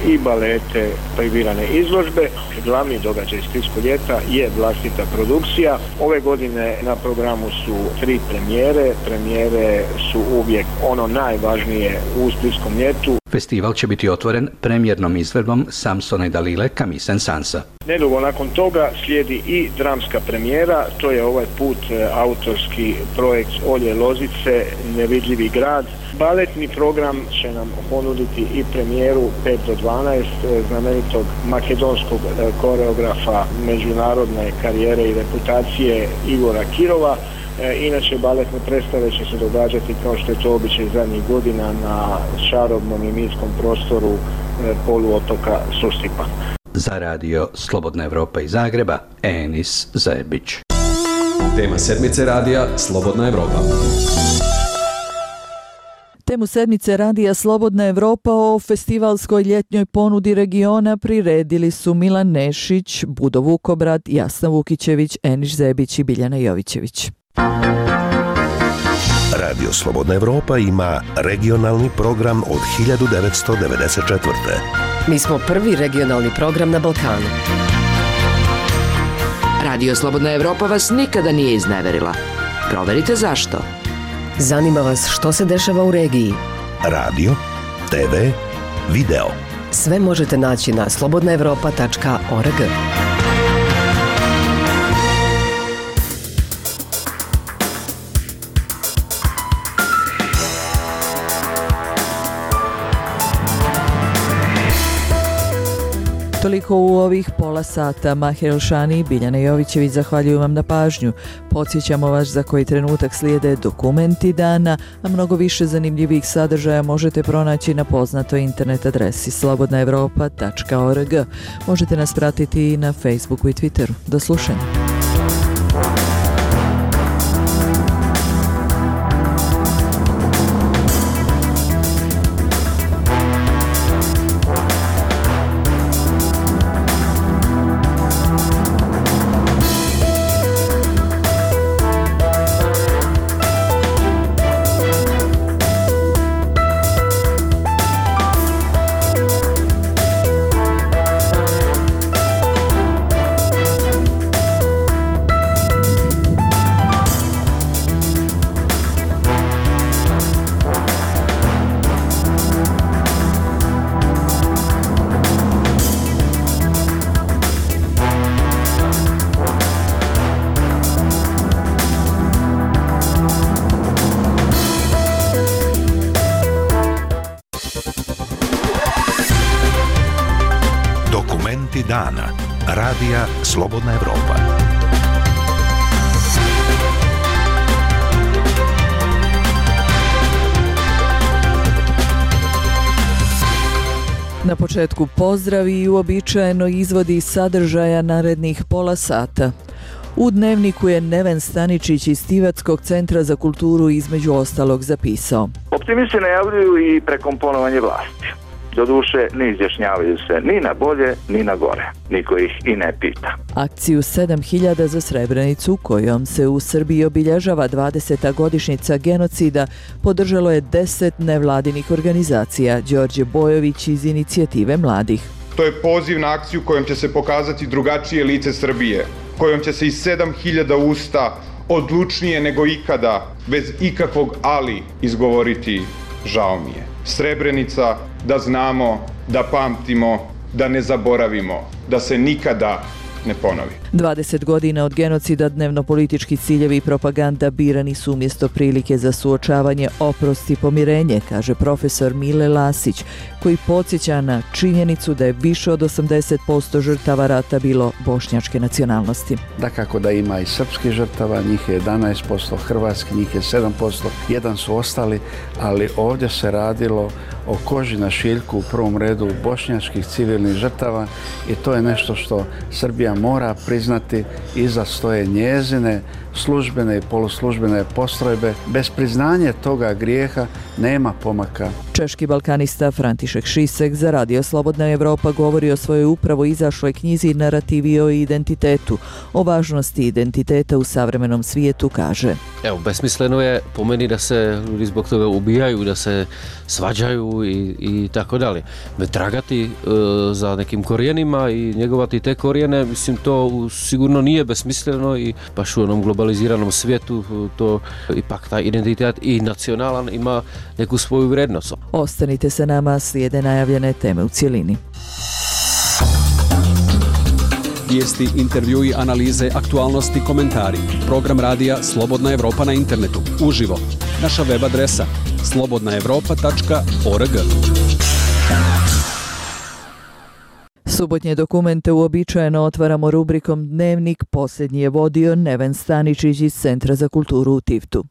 [SPEAKER 11] i balete, privirane izložbe. Glavni događaj Splitskog ljeta je vlastita produkcija. Ove godine na programu su tri premijere. Premijere su uvijek ono najvažnije u Splitskom ljetu.
[SPEAKER 6] Festival će biti otvoren premijernom izvedbom Samsona i Dalile Camille Saint-Saëns.
[SPEAKER 11] Nedugo nakon toga slijedi i dramska premijera, to je ovaj put autorski projekt Olje Lozice, Nevidljivi grad. Baletni program će nam ponuditi i premijeru pet do dvanaest znamenitog makedonskog koreografa međunarodne karijere i reputacije Igora Kirova. E, inače, baletne predstave će se događati, kao što je to običaj zadnjih godina, na čarobnom i mirskom prostoru e, poluotoka Sustipa.
[SPEAKER 6] Za radio Slobodna Evropa iz Zagreba, Enis Zebić.
[SPEAKER 5] Tema sedmice radija Slobodna Evropa.
[SPEAKER 1] Temu sedmice radija Slobodna Evropa o festivalskoj ljetnjoj ponudi regiona priredili su Milan Nešić, Budo Vukobrad, Jasna Vukićević, Enis Zebić i Biljana Jovićević.
[SPEAKER 12] Radio Slobodna Evropa ima regionalni program od hiljadu devetsto devedeset četvrte.
[SPEAKER 13] Mi smo prvi regionalni program na Balkanu. Radio Slobodna Evropa vas nikada nije izneverila. Proverite zašto. Zanima vas što se dešava u regiji.
[SPEAKER 12] Radio, te ve, video.
[SPEAKER 13] Sve možete naći na slobodna evropa tačka org.
[SPEAKER 1] Toliko u ovih pola sata. Mahir Elšani i Biljana Jovićević zahvaljuju vam na pažnju. Podsjećamo vas za koji trenutak slijede dokumenti dana, a mnogo više zanimljivih sadržaja možete pronaći na poznatoj internet adresi slobodna evropa tačka org. Možete nas pratiti i na Facebooku i Twitteru. Do slušanja.
[SPEAKER 12] Savjeti dana. Radija Slobodna Evropa.
[SPEAKER 1] Na početku pozdrav i uobičajeno izvodi sadržaja narednih pola sata. U Dnevniku je Neven Staničić iz Tivatskog centra za kulturu između ostalog zapisao.
[SPEAKER 15] Optimisti najavljuju i prekomponovanje vlasti. Doduše, ne izjašnjavaju se ni na bolje, ni na gore. Niko ih i ne pita.
[SPEAKER 1] Akciju sedam hiljada za Srebrenicu, kojom se u Srbiji obilježava dvadeseta godišnjica genocida, podržalo je deset nevladinih organizacija. Đorđe Bojović iz Inicijative mladih.
[SPEAKER 16] To je poziv na akciju kojom će se pokazati drugačije lice Srbije, kojom će se iz sedam hiljada usta odlučnije nego ikada, bez ikakvog ali, izgovoriti žao mi je. Srebrenica, da znamo, da pamtimo, da ne zaboravimo, da se nikada ne ponovi.
[SPEAKER 1] dvadeset godina od genocida dnevno-politički ciljevi i propaganda birani su umjesto prilike za suočavanje, oprost i pomirenje, kaže profesor Mile Lasić, koji podsjeća na činjenicu da je više od osamdeset posto žrtava rata bilo bošnjačke nacionalnosti.
[SPEAKER 17] Dakako da ima i srpskih žrtava, njih je jedanaest posto, hrvatski njih je sedam posto, jedan su ostali, ali ovdje se radilo o koži na šiljku u prvom redu bošnjačkih civilnih žrtava i to je nešto što Srbija mora priznati. Iza stoje njezine službene i poluslužbene postrojbe. Bez priznanja toga grijeha nema pomaka.
[SPEAKER 1] Češki balkanista František Šisek za Radio Slobodna Evropa govori o svojoj upravo izašloj knjizi Narativi o identitetu. O važnosti identiteta u savremenom svijetu kaže:
[SPEAKER 18] Evo, besmisleno je po meni da se ljudi zbog toga ubijaju, da se svađaju i, i tako dalje. Tragati e, za nekim korijenima i njegovati te korijene, mislim, to sigurno nije besmisleno i baš u onom globaliziranom svijetu to ipak taj identitet i nacionalan ima neku svoju vrijednost.
[SPEAKER 1] Ostanite sa nama, slijede najavljene teme u cjelini.
[SPEAKER 5] Vijesti, intervjui, analize, aktualnosti, komentari. Program radija Slobodna Evropa na internetu. Uživo. Naša web adresa slobodna evropa tačka org.
[SPEAKER 1] Subotnje dokumente uobičajeno otvaramo rubrikom Dnevnik. Posljednji je vodio Neven Staničić iz Centra za kulturu u Tivtu.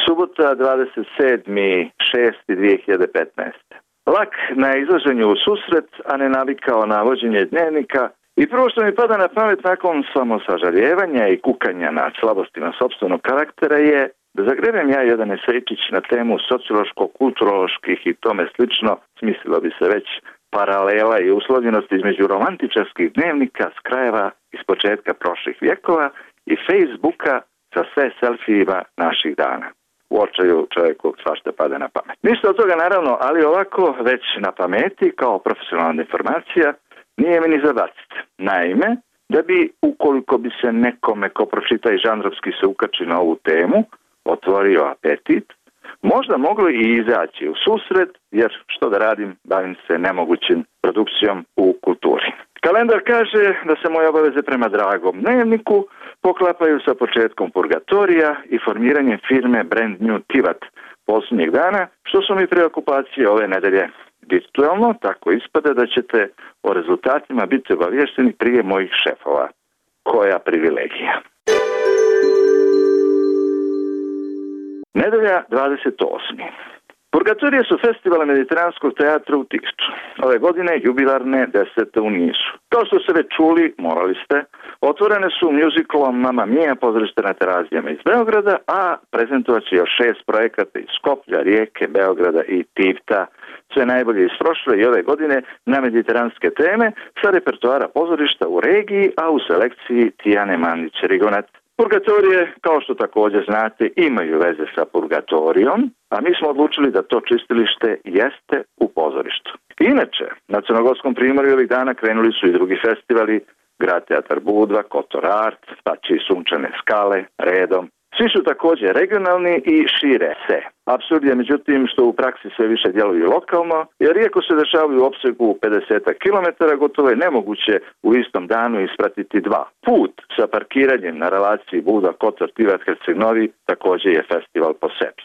[SPEAKER 15] Subota, dvadeset sedmog šestog dvije hiljade petnaeste. Lak na izlaženju u susret, a ne navikao na vođenje dnevnika, i prvo što mi pada na pamet nakon samosažaljevanja i kukanja nad slabostima sopstvenog karaktera je da zagrebem ja jedan esejčić na temu sociološko-kulturoloških i tome slično, smislilo bi se već paralela i uslovljenosti između romantičarskih dnevnika s krajeva iz početka prošlih vjekova i Facebooka sa sve selfijima naših dana. U očaju čovjeku svašta pada na pamet. Ništa od toga naravno, ali ovako već na pameti kao profesionalna informacija nije mi ni zabaciti. Naime, da bi ukoliko bi se nekome ko pročita i žanrovski se ukači na ovu temu, otvorio apetit, možda moglo i izaći u susret, jer što da radim, bavim se nemogućim produkcijom u kulturi. Kalendar kaže da se moje obaveze prema dragom dnevniku poklapaju sa početkom purgatorija i formiranjem firme Brand New Tivat posljednjeg dana, što su mi preokupacije ove nedelje. Virtualno, tako ispada da ćete o rezultatima biti obavješteni prije mojih šefova. Koja privilegija. Nedelja dvadeset osmog Purgatorije su festivala Mediteranskog teatra u Tivtu. Ove godine jubilarne desete u nizu. Kao što ste već čuli, morali ste, otvorene su muzikalom Mamma Mia pozorište na Terazijama iz Beograda, a prezentovat će još šest projekata iz Skoplja, Rijeke, Beograda i Tivta. Sve najbolje iz prošle i ove godine na mediteranske teme sa repertoara pozorišta u regiji, a u selekciji Tijane Mandić-Rigonac. Purgatorije, kao što također znate, imaju veze sa purgatorijom, a mi smo odlučili da to čistilište jeste u pozorištu. Inače, na Crnogorskom primorju ovih dana krenuli su i drugi festivali, Grad Teatar Budva, Kotor Art, pa će i Sunčane skale, redom. Svi su također regionalni i šire se. Apsurd je međutim što u praksi sve više djeluju lokalno, jer iako se dešavaju u opsegu pedeset kilometara, gotovo je nemoguće u istom danu ispratiti dva. Put sa parkiranjem na relaciji Buda, Kotor, Tivat, Herceg Novi također je festival po sebi.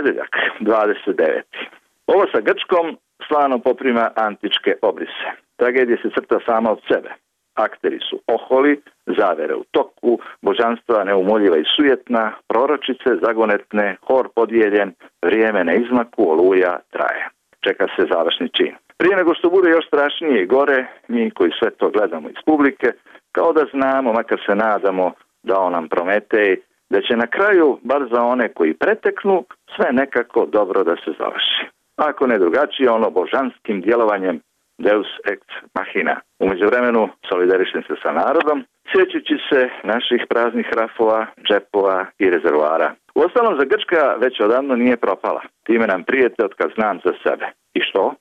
[SPEAKER 15] Ponedeljak, dvadeset deveti Ovo sa Grčkom slano poprima antičke obrise. Tragedija se crta sama od sebe. Akteri su oholi, zavere u toku, božanstva neumoljiva i sujetna, proročice zagonetne, hor podijeljen, vrijeme na izmaku, oluja traje. Čeka se završni čin. Prije nego što bude još strašnije i gore, mi koji sve to gledamo iz publike, kao da znamo, makar se nadamo, dao nam Prometej, da će na kraju, bar za one koji preteknu, sve nekako dobro da se završi. Ako ne drugačije, ono božanskim djelovanjem Deus ex machina. U međuvremenu solidarišem se sa narodom, sjećajući se naših praznih rafova, džepova i rezervoara. Uostalom, za Grčka već odavno nije propala. Time nam prijete od kad znam za sebe. I što?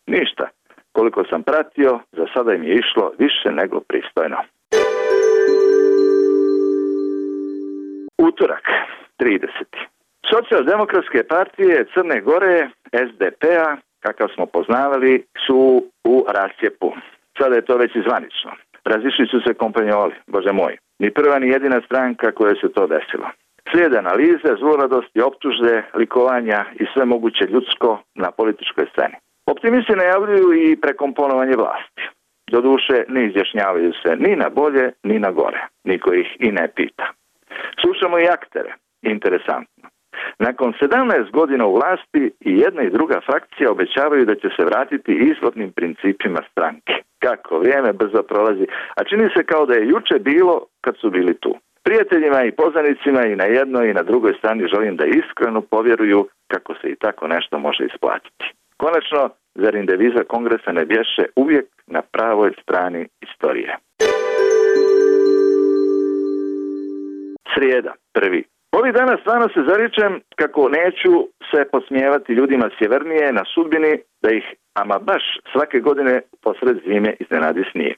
[SPEAKER 15] Ništa. Koliko sam pratio, za sada im je išlo više nego pristojno. Utorak, trideseti Socijaldemokratske partije Crne Gore, S D P-a, kakav smo poznavali, su u rascijepu. Sada je to već i zvanično. Razišli su se kompanjoli, bože moj. Ni prva ni jedina stranka koja se to desilo. Slijede analize, zluradosti, optužbe, likovanja i sve moguće ljudsko na političkoj sceni. Optimisti najavljuju i prekomponovanje vlasti. Doduše, ne izjašnjavaju se ni na bolje, ni na gore. Niko ih i ne pita. Slušamo i aktere. Interesantno. Nakon sedamnaest godina u vlasti i jedna i druga frakcija obećavaju da će se vratiti izvornim principima stranke. Kako vrijeme brzo prolazi, a čini se kao da je juče bilo kad su bili tu. Prijateljima i poznanicima i na jednoj i na drugoj strani želim da iskreno povjeruju kako se i tako nešto može isplatiti. Konačno, zar im deviza kongresa ne bješe uvijek na pravoj strani istorije. Srijeda, prvi Ovih dana stvarno se zaričem kako neću se podsmijevati ljudima sjevernije na sudbini da ih ama baš svake godine posred zime iznenadi snijeg.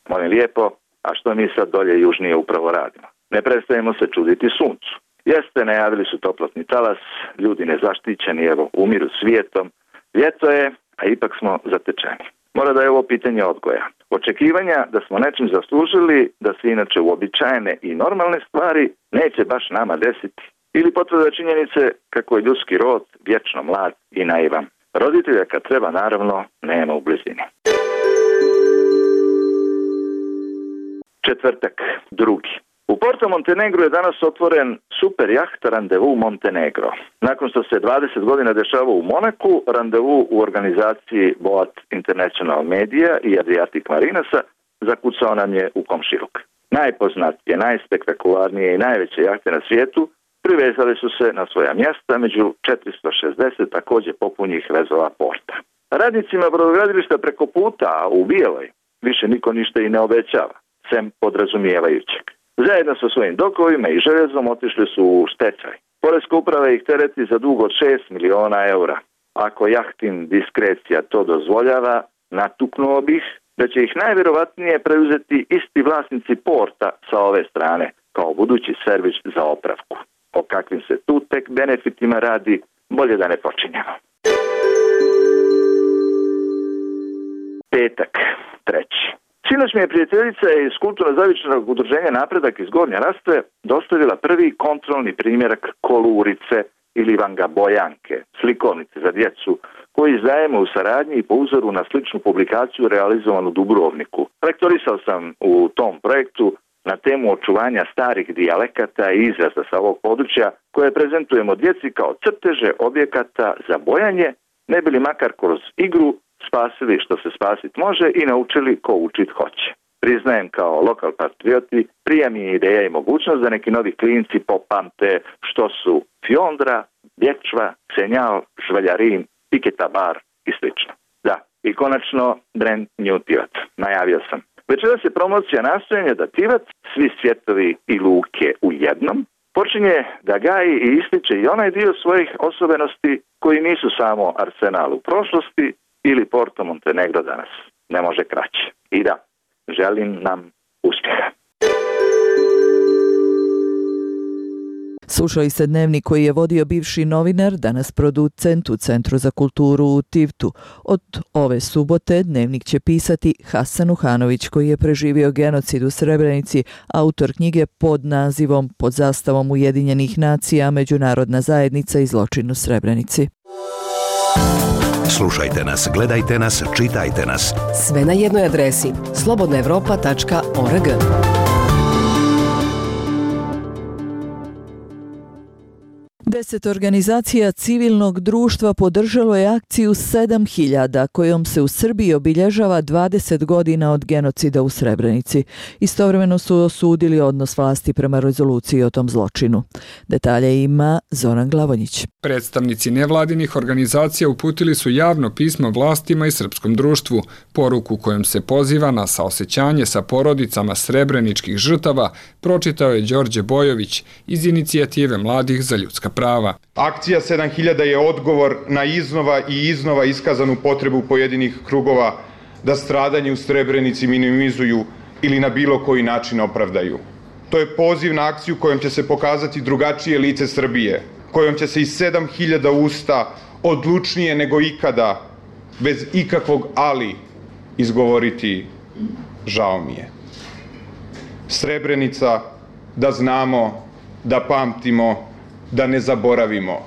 [SPEAKER 15] Molim lijepo, a što mi sad dolje južnije upravo radimo? Ne prestajemo se čuditi suncu. Jeste, najavili su toplotni talas, ljudi nezaštićeni, evo, umiru svijetom. Ljeto je, a ipak smo zatečeni. Mora da je ovo pitanje odgoja. Očekivanja da smo nečim zaslužili, da se inače uobičajene i normalne stvari neće baš nama desiti. Ili potvrda činjenice kako je ljudski rod vječno mlad i naivan. Roditelja kad treba, naravno, nema u blizini. Četvrtak, drugi. U Porto Montenegro je danas otvoren super jahta Randevu Montenegro. Nakon što se dvadeset godina dešava u Monaku, Randevu u organizaciji Boat International Media i Adriatic Marinasa zakucao nam je u komšiluk. Najpoznatije, najspektakularnije i najveće jahte na svijetu privezale su se na svoja mjesta među četiristo šezdeset također popunjih vezova porta. Radnicima brodogradilišta preko puta, a u Bijeloj, više niko ništa i ne obećava, sem podrazumijevajućeg. Zajedno sa svojim dokovima i željezom otišli su u stečaj. Poreska uprava ih tereti za dug od šest miliona eura. Ako jahtin diskrecija to dozvoljava, natuknuo bih da će ih najvjerovatnije preuzeti isti vlasnici porta sa ove strane, kao budući servis za opravku. O kakvim se tu tek benefitima radi, bolje da ne počinjemo. Petak, treći. Sinoć mi je prijateljica iz kulturno-zavičnog udruženja Napredak iz Gornje Rastve dostavila prvi kontrolni primjerak kolurice ili vangabojanke, slikovnice za djecu, koji izdajemo u saradnji i po uzoru na sličnu publikaciju realizovanu u Dubrovniku. Lektorisao sam u tom projektu na temu očuvanja starih dijalekata i izraza sa ovog područja koje prezentujemo djeci kao crteže objekata za bojanje, ne bili makar kroz igru spasili što se spasit može i naučili ko učit hoće. Priznajem kao lokal patrioti, prija mi je ideja i mogućnost da neki novi klinci popamte što su fjondra, bječva, senjal, žveljarin, piketa bar i slično. Da, i konačno brand New Tivat. Najavio sam. Večeras je promocija nastojanja da Tivat, svi svjetovi i luke u jednom, počinje da gaji i ističe i onaj dio svojih osobenosti koji nisu samo Arsenal u prošlosti ili Porto Montenegro danas. Ne može kraće. I da, želim nam uspjeha.
[SPEAKER 1] Slušali ste dnevnik koji je vodio bivši novinar, danas producent u Centru za kulturu u Tivtu. Od ove subote dnevnik će pisati Hasan Uhanović, koji je preživio genocid u Srebrenici, autor knjige pod nazivom Pod zastavom Ujedinjenih nacija Međunarodna zajednica i zločin u Srebrenici.
[SPEAKER 12] Slušajte nas, gledajte nas, čitajte nas.
[SPEAKER 13] Sve na jednoj adresi slobodna evropa tačka org.
[SPEAKER 1] Deset organizacija civilnog društva podržalo je akciju sedam hiljada kojom se u Srbiji obilježava dvadeset godina od genocida u Srebrenici. Istovremeno su osudili odnos vlasti prema rezoluciji o tom zločinu. Detalje ima Zoran Glavonjić.
[SPEAKER 14] Predstavnici nevladinih organizacija uputili su javno pismo vlastima i srpskom društvu, poruku kojom se poziva na saosećanje sa porodicama srebreničkih žrtava, pročitao je Đorđe Bojović iz Inicijative mladih za ljudska prava.
[SPEAKER 16] Akcija sedam hiljada je odgovor na iznova i iznova iskazanu potrebu pojedinih krugova da stradanje u Srebrenici minimizuju ili na bilo koji način opravdaju. To je poziv na akciju kojom će se pokazati drugačije lice Srbije, kojom će se iz sedam hiljada usta odlučnije nego ikada, bez ikakvog ali, izgovoriti žao mi je. Srebrenica, da znamo, da pamtimo, da ne zaboravimo,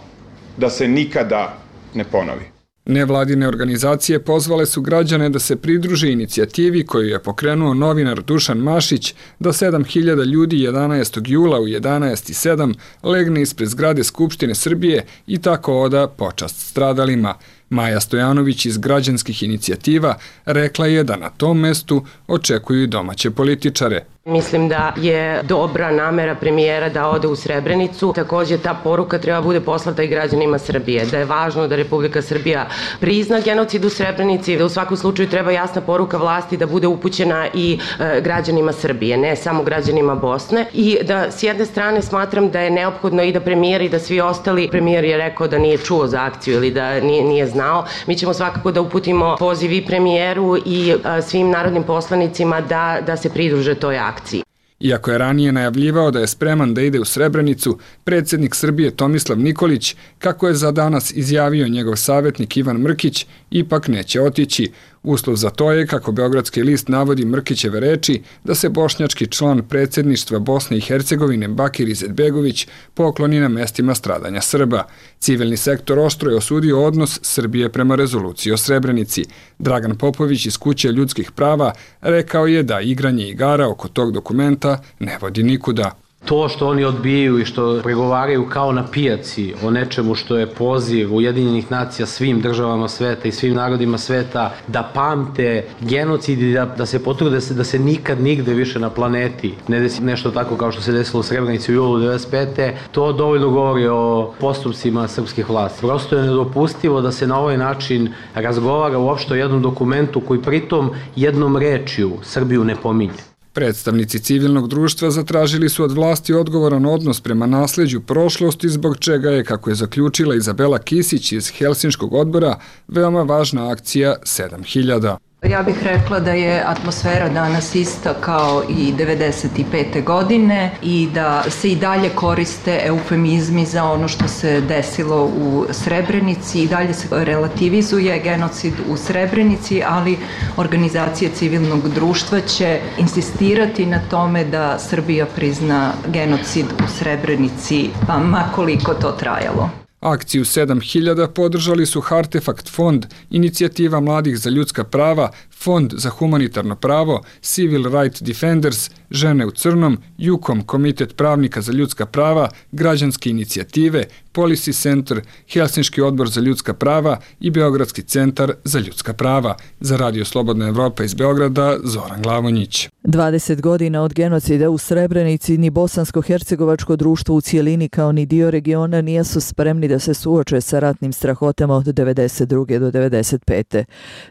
[SPEAKER 16] da se nikada ne ponovi.
[SPEAKER 14] Nevladine organizacije pozvale su građane da se pridruže inicijativi koju je pokrenuo novinar Dušan Mašić da sedam hiljada ljudi jedanaestog jula u jedanaest i sedam legne ispred zgrade Skupštine Srbije i tako oda počast stradalima. Maja Stojanović iz građanskih inicijativa rekla je da na tom mestu očekuju domaće političare.
[SPEAKER 19] Mislim da je dobra namera premijera da ode u Srebrenicu. Također ta poruka treba bude poslata i građanima Srbije. Da je važno da Republika Srbija prizna genocid u Srebrenici, da u svakom slučaju treba jasna poruka vlasti da bude upućena i e, građanima Srbije, ne samo građanima Bosne. I da s jedne strane smatram da je neophodno i da premijer i da svi ostali, premijer je rekao da nije čuo za akciju ili da nije, nije znao. Mi ćemo svakako da uputimo poziv i premijeru i a, svim narodnim poslanicima da, da se pridruže toj akciji.
[SPEAKER 14] Iako je ranije najavljivao da je spreman da ide u Srebrenicu, predsjednik Srbije Tomislav Nikolić, kako je za danas izjavio njegov savjetnik Ivan Mrkić, ipak neće otići. Uslov za to je, kako Beogradski list navodi Mrkićeve reči, da se bošnjački član predsjedništva Bosne i Hercegovine Bakir Izetbegović pokloni na mestima stradanja Srba. Civilni sektor oštro je osudio odnos Srbije prema rezoluciji o Srebrenici. Dragan Popović iz Kuće ljudskih prava rekao je da igranje igara oko tog dokumenta ne vodi nikuda.
[SPEAKER 20] To što oni odbijaju i što pregovaraju kao na pijaci o nečemu što je poziv Ujedinjenih nacija svim državama sveta i svim narodima sveta da pamte genocid i da, da se potrude se, da se nikad nigde više na planeti ne desi nešto tako kao što se desilo u Srebrenici u julu devedeset pete. To dovoljno govori o postupcima srpskih vlasti. Prosto je nedopustivo da se na ovaj način razgovara uopšte o jednom dokumentu koji pritom jednom rečju Srbiju ne pominje.
[SPEAKER 14] Predstavnici civilnog društva zatražili su od vlasti odgovoran odnos prema nasleđu prošlosti, zbog čega je, kako je zaključila Izabela Kisić iz Helsinškog odbora, veoma važna akcija sedam hiljada.
[SPEAKER 21] Ja bih rekla da je atmosfera danas ista kao i devedeset pete godine i da se i dalje koriste eufemizmi za ono što se desilo u Srebrenici i dalje se relativizuje genocid u Srebrenici, ali organizacije civilnog društva će insistirati na tome da Srbija prizna genocid u Srebrenici, pa makoliko to trajalo.
[SPEAKER 14] Akciju sedam hiljada podržali su Hartefakt fond, Inicijativa mladih za ljudska prava, Fond za humanitarno pravo, Civil Rights Defenders, Žene u crnom, Jukom, Komitet pravnika za ljudska prava, Građanske inicijative, Policy Center, Helsinški odbor za ljudska prava i Beogradski centar za ljudska prava. Za Radio Slobodna Evropa iz Beograda, Zoran Glavonjić.
[SPEAKER 1] dvadeset godina od genocida u Srebrenici ni bosansko-hercegovačko društvo u cijelini kao ni dio regiona nisu spremni da se suoče sa ratnim strahotama od devedeset druge do devedeset pete.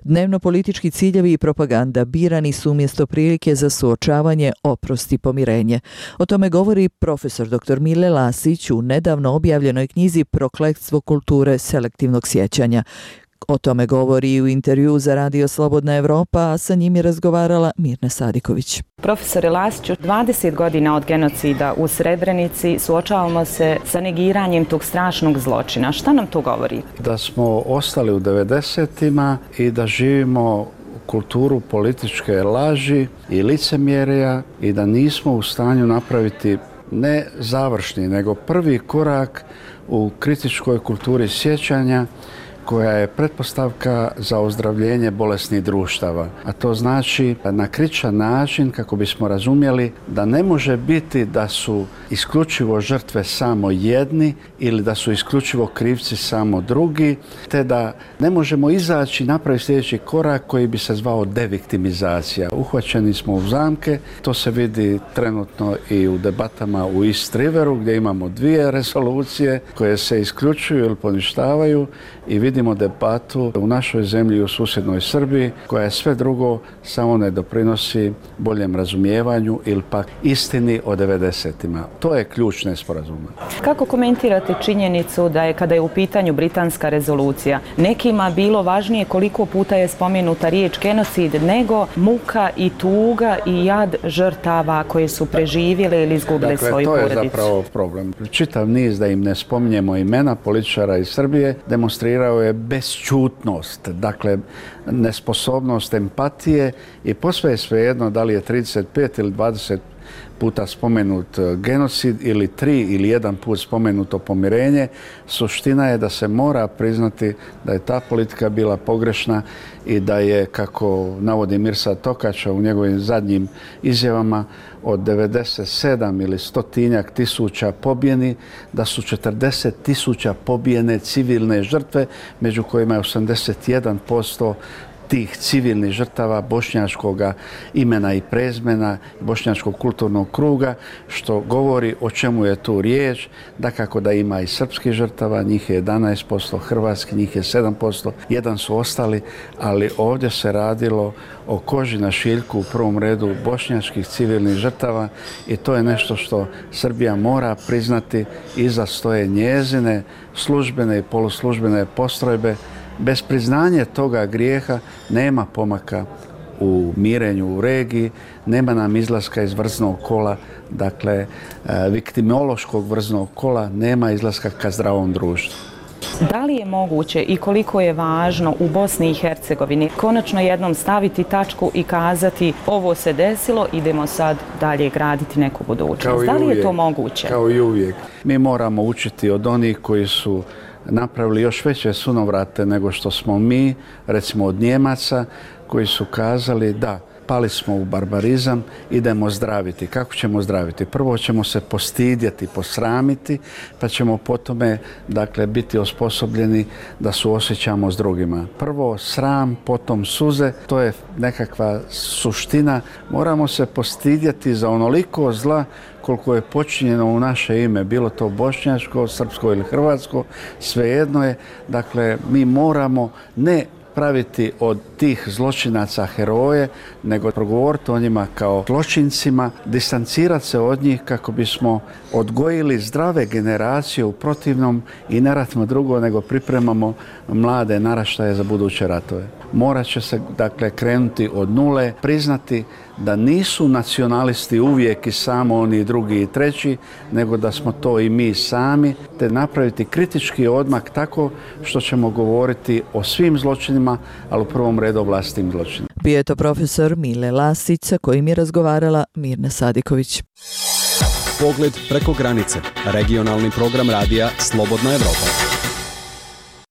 [SPEAKER 1] Dnevno politički ciljevi i propaganda birani su umjesto prilike za suočavanje, oprost i pomirenje. O tome govori profesor doktor Mile Lasić u nedavno objavljenoj knjizi Prokletstvo kulture selektivnog sjećanja. O tome govori i u intervju za Radio Slobodna Evropa, a sa njim je razgovarala Mirna Sadiković.
[SPEAKER 3] Profesore Lasiću, dvadeset godina od genocida u Srebrenici suočavamo se sa negiranjem tog strašnog zločina. Šta nam to govori?
[SPEAKER 17] Da smo ostali u devedesetima i da živimo kulturu političke laži i licemjerja i da nismo u stanju napraviti ne završni, nego prvi korak u kritičkoj kulturi sjećanja koja je pretpostavka za ozdravljenje bolesnih društava. A to znači na kritičan način kako bismo razumjeli da ne može biti da su isključivo žrtve samo jedni ili da su isključivo krivci samo drugi, te da ne možemo izaći i napraviti sljedeći korak koji bi se zvao deviktimizacija. Uhvaćeni smo u zamke, to se vidi trenutno i u debatama u East Riveru gdje imamo dvije rezolucije koje se isključuju ili poništavaju i vidimo debatu u našoj zemlji i u susjednoj Srbiji koja je sve drugo samo ne doprinosi boljem razumijevanju ili pak istini o devedesetima. To je ključ nesporazuma.
[SPEAKER 3] Kako komentirate činjenicu da je kada je u pitanju britanska rezolucija nekima bilo važnije koliko puta je spomenuta riječ genocid nego muka i tuga i jad žrtava koje su preživjele ili izgubile
[SPEAKER 17] dakle,
[SPEAKER 3] svoju porodicu?
[SPEAKER 17] To je zapravo problem. Čitav niz da im ne spominjemo imena političara iz Srbije demonstrirao je bezćutnost, dakle nesposobnost empatije i posve je svejedno da li je trideset pet ili dvadeset puta spomenut genocid ili tri ili jedan put spomenuto pomirenje. Suština je da se mora priznati da je ta politika bila pogrešna i da je, kako navodi Mirsad Tokača u njegovim zadnjim izjavama, od devedeset sedam ili stotinjak tisuća pobijeni, da su četrdeset tisuća pobijene civilne žrtve, među kojima je osamdeset jedan posto tih civilnih žrtava bošnjačkog imena i prezmena, bošnjačkog kulturnog kruga, što govori o čemu je tu riječ, da kako da ima i srpskih žrtava, njih je jedanaest posto, hrvatski njih je sedam posto, jedan su ostali, ali ovdje se radilo o koži na šiljku u prvom redu bošnjačkih civilnih žrtava i to je nešto što Srbija mora priznati. Iza stoje njezine službene i poluslužbene postrojbe. Bez priznanja toga grijeha nema pomaka u mirenju u regiji, nema nam izlaska iz vrznog kola, dakle viktimološkog vrznog kola, nema izlaska ka zdravom društvu.
[SPEAKER 3] Da li je moguće i koliko je važno u Bosni i Hercegovini konačno jednom staviti tačku i kazati ovo se desilo, idemo sad dalje graditi neku budućnost? Da li je to moguće?
[SPEAKER 17] Kao i uvijek. Mi moramo učiti od onih koji su napravili još veće sunovrate nego što smo mi, recimo od Njemaca, koji su kazali da pali smo u barbarizam, idemo zdraviti. Kako ćemo zdraviti? Prvo ćemo se postidjeti, posramiti, pa ćemo potome, dakle, biti osposobljeni da suosjećamo s drugima. Prvo sram, potom suze, to je nekakva suština. Moramo se postidjeti za onoliko zla koliko je počinjeno u naše ime, bilo to bošnjačko, srpsko ili hrvatsko, svejedno je. Dakle, mi moramo ne praviti od tih zločinaca heroje, nego progovoriti o njima kao zločincima, distancirati se od njih kako bismo odgojili zdrave generacije, u protivnom i ne ratimo drugo nego pripremamo mlade naraštaje za buduće ratove. Morat će se, dakle, krenuti od nule, priznati da nisu nacionalisti uvijek i samo oni drugi i treći, nego da smo to i mi sami, te napraviti kritički odmak tako što ćemo govoriti o svim zločinima, ali u prvom redu o vlastitim zločinima.
[SPEAKER 1] Bio je to profesor Mile Lasić, sa kojim je razgovarala Mirna Sadiković.
[SPEAKER 5] Pogled preko granice. Regionalni program radija Slobodna Evropa.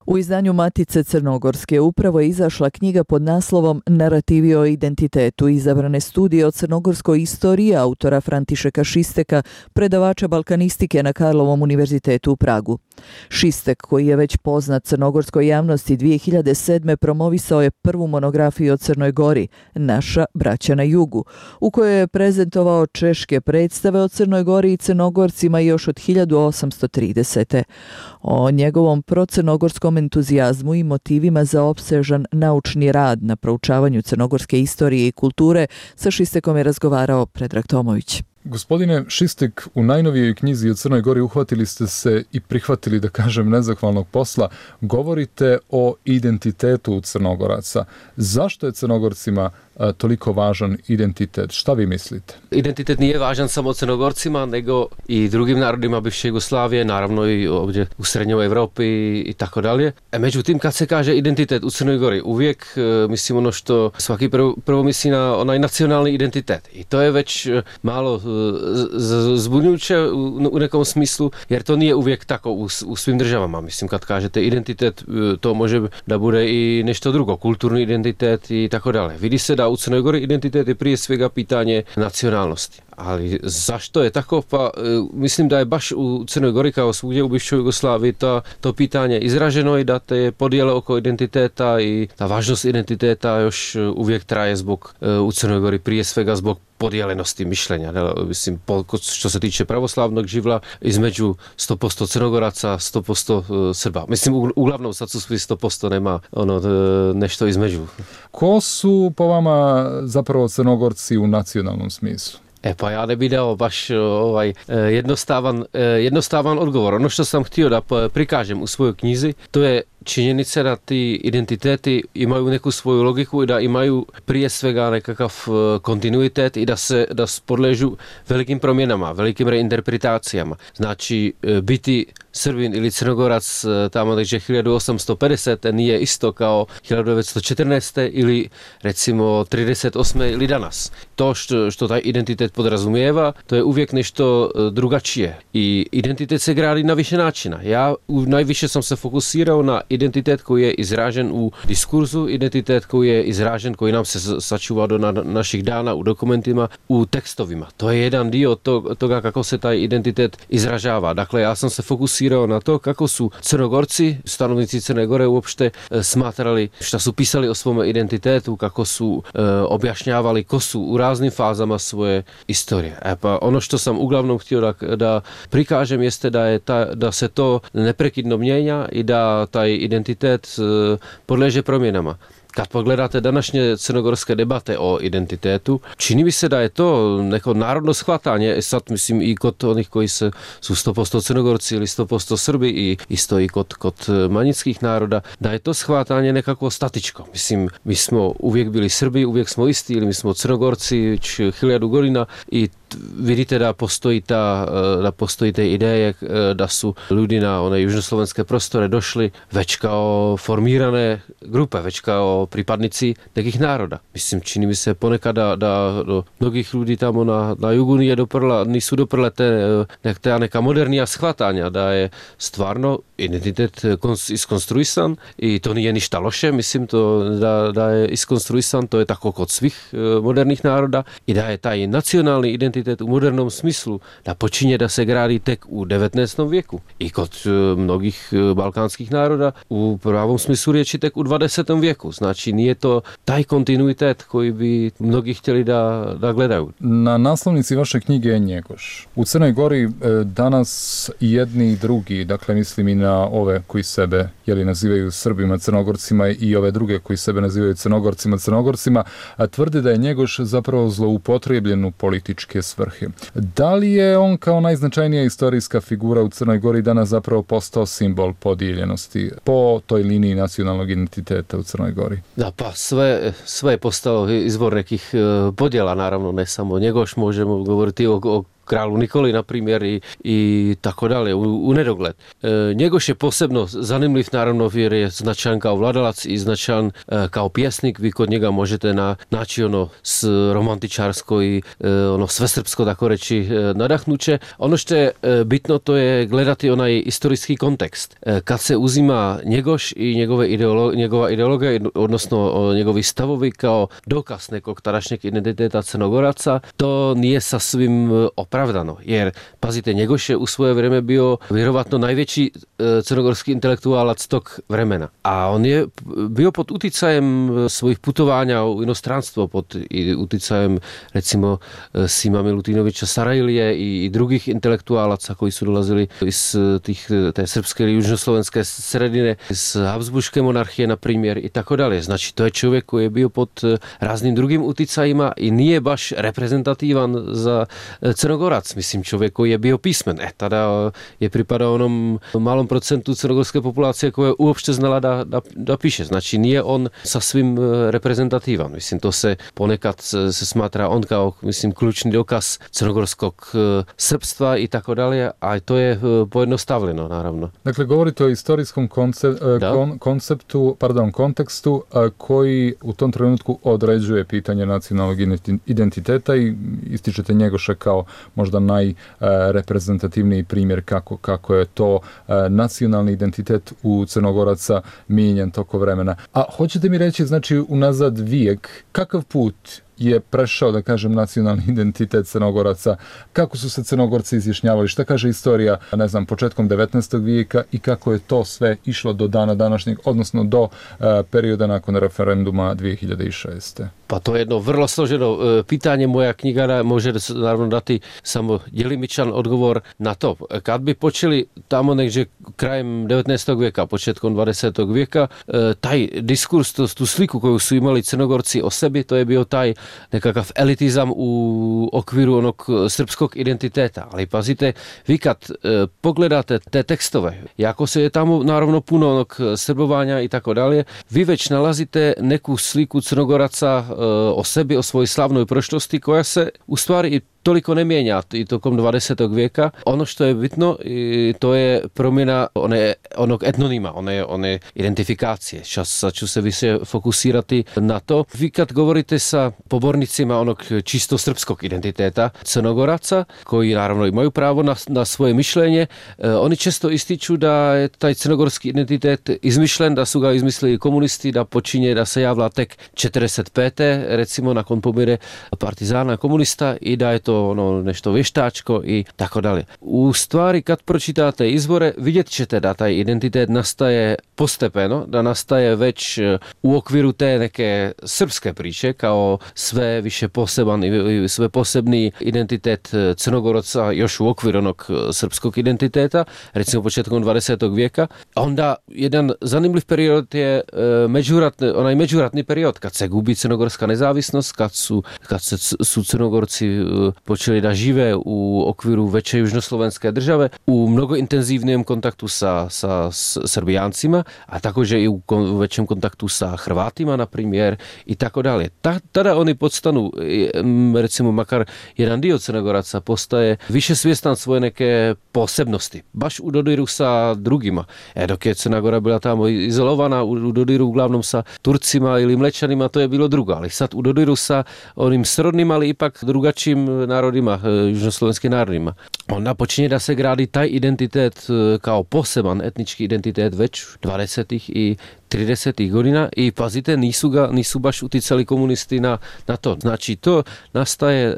[SPEAKER 1] U izdanju Matice Crnogorske upravo je izašla knjiga pod naslovom Narativi o identitetu, izabrane studije o crnogorskoj istoriji autora Františeka Šisteka, predavača balkanistike na Karlovom univerzitetu u Pragu. Šistek, koji je već poznat crnogorskoj javnosti, dvije hiljade sedme promovisao je prvu monografiju o Crnoj Gori, Naša braća na jugu, u kojoj je prezentovao češke predstave o Crnoj Gori i Crnogorcima još od hiljadu osamsto tridesete. O njegovom procrnogorskom entuzijazmu i motivima za opsežan naučni rad na proučavanju crnogorske istorije i kulture sa Šistekom je razgovarao Predrag Tomović.
[SPEAKER 2] Gospodine Šistek, u najnovijoj knjizi o Crnoj Gori uhvatili ste se i prihvatili, da kažem, nezahvalnog posla. Govorite o identitetu Crnogoraca. Zašto je Crnogorcima a, toliko važan identitet? Šta vi mislite?
[SPEAKER 18] Identitet nije važan samo Crnogorcima, nego i drugim narodima bivše Jugoslavije, naravno i ovdje u Srednjoj Evropi i, i tako dalje. E, međutim, kad se kaže identitet u Crnoj Gori, uvijek e, mislim ono što svaki prvo, prvo misli na onaj nacionalni identitet. I to je već e, malo e, zbunjujuće u, u nekom smislu, jer to nije uvijek tako u, u svim državama. Mislim, kad kažete identitet, e, to može da bude i nešto drugo, kulturni identitet i tako dalje. Vidi se da u Crnoj Gori identitet je prije svega pitanje nacionalnosti. Ali zašto je tako? Pa e, mislim da je baš u Crnoj Gori kao svugdje u bivšoj Jugoslaviji to, to pitanje izraženo i da te podjele oko identiteta i ta važnost identiteta još uvijek traje zbog e, u Crnoj Gori prije svega zbog podijelenosti mišljenja. Ne? Mislim, po, što se tiče pravoslavnog živla, između sto posto Crnogoraca, sto posto Srba. Mislim, u, uglavnom sad su svi sto posto, nema ono nešto između.
[SPEAKER 2] Ko su po vama zapravo Crnogorci u nacionalnom smislu?
[SPEAKER 18] E pa ja ne bi dao baš ovaj jednostavan, jednostavan odgovor. Ono što sam htio da prikažem u svojoj knjizi, to je činjenica da ti identiteti imaju neku svoju logiku i da imaju prije svega nekakav kontinuitet i da se da podležu velikim promjenama, velikim reinterpretacijama. Znači, biti Srbin ili Crnogorac tamo neđe hiljadu osamsto pedesete nije isto kao hiljadu devetsto četrnaeste ili recimo trideset osme ili danas. To što, što taj identitet podrazumijeva, to je uvijek nešto drugačije. I identitet se gradi na više načina. Ja najviše sam se fokusirao na identitet koji je izražen u diskurzu, identitet koji je izražen, koji nam se sačuva do na naših dana u dokumentima, u tekstovima. To je jedan dio toga kako se taj identitet izražava. Dakle, ja sam se fokusirao na to kako su Crnogorci, stanovnici Crne Gore uopšte smatrali šta su pisali o svom identitetu, kako su e, objašnjavali ko su u raznim fazama svoje istorije. E pa ono što sam uglavnom htio da, da prikažem jeste da, je ta, da se to neprekidno mijenja i da taj identitet e, podleže promjenama. Kad pogledate današnje crnogorske debate o identitetu, čini mi se da je to neko narodno shvatanje, sad mislim i kod onih koji se, su sto posto Crnogorci ili sto posto Srbi i isto i kod, kod manjinskih naroda, da je to shvatanje nekako statičko. Mislim, mi smo uvijek bili Srbi, uvijek smo isti ili mi smo Crnogorci već hiljadu godina i vidite da postoji ta, da postoji te ideje da su ljudi na one južnoslovenske prostore došli već kao formirane grupe, već kao pripadnici nekih naroda. Mislim, čini mi se ponekad da, da do mnogih ljudi tamo na, na jugu nije doprla, nisu doprle te, te neka modernija shvatanja da je stvarno identitet iskonstruisan i to nije ništa loše, mislim to da, da je iskonstruisan, to je tako kod svih modernih naroda i da je taj nacionalni identitet u modernom smislu da počinje da se gradi tek u devetnaestom vijeku i kod mnogih balkanskih naroda u pravom smislu riječi tek u dvadesetom vijeku. Znači nije to taj kontinuitet koji bi mnogi htjeli da, da gledaju.
[SPEAKER 2] Na naslovnici vaše knjige je Njegoš. U Crnoj Gori danas jedni i drugi, dakle mislim i na ove koji sebe jeli, nazivaju Srbima, Crnogorcima i ove druge koji sebe nazivaju Crnogorcima, Crnogorcima, a tvrde da je Njegoš zapravo zloupotrebljen u političke svrhe. Da li je on kao najznačajnija istorijska figura u Crnoj Gori danas zapravo postao simbol podijeljenosti po toj liniji nacionalnog identiteta u Crnoj Gori?
[SPEAKER 18] Da, pa sve, sve je postao izvor nekih podjela, naravno, ne samo Njegoš, možemo govoriti o, o kralu Nikoli, na primjer, i, i tako dalje, u, u nedogled. E, Njegoš je posebno zanimljiv, naravno, jer je značajan kao vladalac i značajan e, kao pjesnik. Vi kod njega možete na, naći ono s romantičarsko i e, ono svesrpsko, tako reći, e, nadahnuće. Ono što je e, bitno, to je gledati onaj istorijski kontekst. E, kad se uzima Njegoš i njegove ideolo, njegova ideologija, odnosno o, njegovi stavovi kao dokaz nekog tadašnjeg identiteta Crnogoraca, to nije sasvim opravljeno opravdano. Jer, pazite, Njegoš je u svoje vrijeme bio vjerovatno najveći crnogorski intelektualac tog vremena. A on je bio pod uticajem svojih putovanja u inostranstvo, pod uticajem recimo Sima Milutinovića Sarajlije i, i drugih intelektualaca koji su dolazili iz tih, te srpske ili južnoslovenske sredine, iz Habsburške monarhije, na primjer, i tako dalje. Znači, to je čovjek koji je bio pod raznim drugim uticajima i nije baš reprezentativan za Crnogorac. Mislim, čovjek koji je bio pismen. E, tada je pripadao onom malom procentu crnogorske populacije koja je uopšte znala da, da, da piše. Znači, nije on sasvim reprezentativan. Mislim, to se ponekad se smatra on kao, mislim, ključni dokaz crnogorskog srpstva i tako dalje, a to je pojednostavljeno, naravno.
[SPEAKER 2] Dakle, govorite o istorijskom konce, kon, konceptu, pardon, kontekstu koji u tom trenutku određuje pitanje nacionalnog identiteta i ističete Njegoša kao možda najreprezentativniji primjer kako, kako je to nacionalni identitet u Crnogoraca mijenjan toko vremena. A hoćete mi reći, znači, unazad vijek, kakav put je prešao, da kažem, nacionalni identitet Crnogoraca, kako su se Crnogorci izjašnjavali, šta kaže istorija, ne znam, početkom devetnaestog vijeka i kako je to sve išlo do dana današnjeg, odnosno do uh, perioda nakon referenduma dvije hiljade šeste.
[SPEAKER 18] Pa to je jedno vrlo složeno uh, pitanje. Moja knjiga može naravno dati samo djelimičan odgovor na to. Kad bi počeli tamo negdje krajem devetnaestog vijeka, početkom dvadesetog vijeka, uh, taj diskurs, tu, tu sliku koju su imali Crnogorci o sebi, to je bio taj nekakav elitizam u okviru onog srpskog identiteta. Ali pazite, vi kad e, pogledate te tekstove, jako se je tamo naravno puno onog srbovanja i tako dalje, vi već nalazite neku sliku Crnogoraca e, o sebi, o svojoj slavnoj prošlosti koja se u stvari toliko ne mijenja i tokom dvadesetog vijeka. Ono što je bitno, to je promjena one, onog etnonima, one, one identifikacije. Sad ću se više fokusirati na to. Vi kad govorite sa pobornicima onog čisto srpskog identiteta Crnogoraca, koji naravno imaju pravo na, na svoje mišljenje, oni često ističu da je taj crnogorski identitet izmišljen, da su ga izmislili komunisti, da počinje da se javlja tek četrdeset pete recimo nakon pomire partizana komunista i da je to ono nešto vještačko i tako dalje. U stvari, kad pročitate izvore, vidjet ćete da taj identitet nastaje postepeno, da nastaje već u okviru te neke srpske priče, kao sve više poseban i sve posebni identitet Crnogoraca još u okviru onog srpskog identiteta, recimo početkom dvadesetog vijeka. Onda jedan zanimljiv period je međuratni, onaj međuratni period, kad se gubi crnogorska nezavisnost, kad su, kad se, su Crnogorci počeli da žive u okviru veće južnoslovenske države u mnogo intenzivnijem kontaktu sa, sa Srbijancima, a također i u većem kontaktu sa Hrvatima, na primjer, i tako dalje. Ta, tada oni podstanu, recimo makar jedan dio Crnogoraca postaje više svjestan svoje neke posebnosti, baš u dodiru sa drugima. E, dok je Crna Gora bila tamo izolovana, u, u dodiru uglavnom sa Turcima ili Mlečanima, to je bilo drugo, ali sad u dodiru sa onim srodnim, ali ipak drugačijim narodima, južnoslovenskim narodima. Onda počinje da se gradi taj identitet kao poseban etnički identitet već dvadesetih i tridesetih godina i pazite, nisu ga, nisu baš uticali komunisti na, na to. Znači, to nastaje e,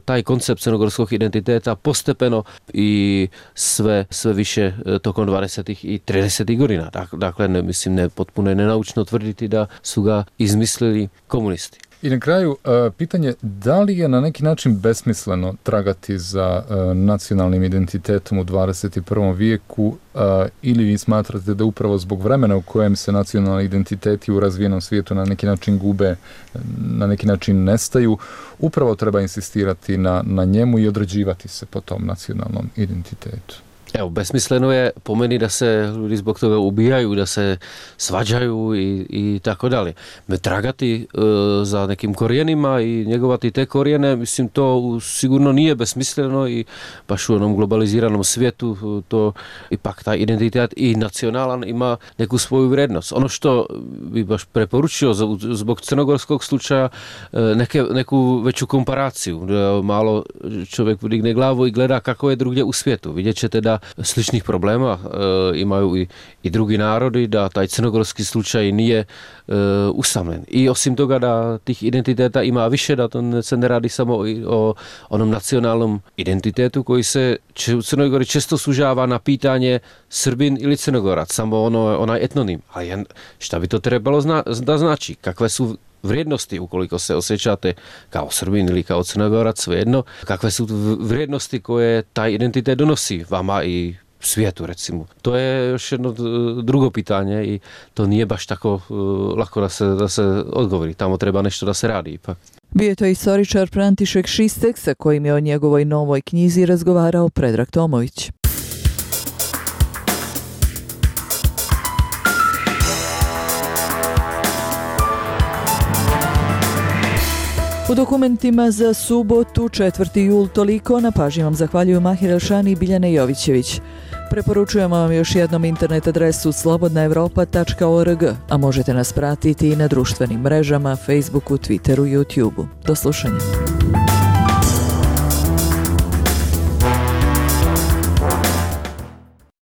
[SPEAKER 18] taj koncept crnogorskog identiteta postepeno i sve, sve više e, tokom dvadesetih i tridesetih godina. Dakle, ne, mislim, ne, potpuno je nenaučno tvrditi da su ga izmislili komunisti.
[SPEAKER 2] I na kraju, pitanje, da li je na neki način besmisleno tragati za nacionalnim identitetom u dvadeset prvom vijeku ili vi smatrate da upravo zbog vremena u kojem se nacionalni identiteti u razvijenom svijetu na neki način gube, na neki način nestaju, upravo treba insistirati na, na njemu i određivati se po tom nacionalnom identitetu?
[SPEAKER 18] Evo, besmisleno je po meni da se ljudi zbog toga ubijaju, da se svađaju i, i tako dalje. Me tragati e, za nekim korijenima i njegovati te korijene, mislim, to sigurno nije besmisleno i baš u onom globaliziranom svijetu to ipak taj identitet i nacionalan ima neku svoju vrijednost. Ono što bi baš preporučio zbog crnogorskog slučaja neke, neku veću komparaciju. Malo čovjek digne glavu i gleda kako je drugdje u svijetu. Vidjet ćete da sličnih problema e, imaju i, i drugi narodi, da taj crnogorski slučaj nije e, usamljen. I osim toga da tih identiteta ima više, da to se ne radi samo o, o onom nacionalnom identitetu koji se u Crnoj Gori često sužava na pitanje Srbin ili Crnogorac, samo ono, onaj etnonim. A šta bi to trebalo zna, da znači? Kakve su vrijednosti ukoliko se osjećate kao Srbin ili kao Crnogorac, svejedno? Kakve su vrijednosti koje taj identitet donosi vama i svijetu, recimo? To je još jedno drugo pitanje i to nije baš tako uh, lako da se, da se odgovori. Tamo treba nešto da se radi ipak.
[SPEAKER 1] Bio je to istoričar František Šistek sa kojim je o njegovoj novoj knjizi razgovarao Predrag Tomović. U dokumentima za subotu, četvrti jul, toliko. Na pažnji vam zahvaljuju Mahir Elšani i Biljana Jovićević. Preporučujemo vam još jednom internet adresu slobodna evropa tačka org, a možete nas pratiti i na društvenim mrežama, Facebooku, Twitteru i YouTubeu. Do slušanja.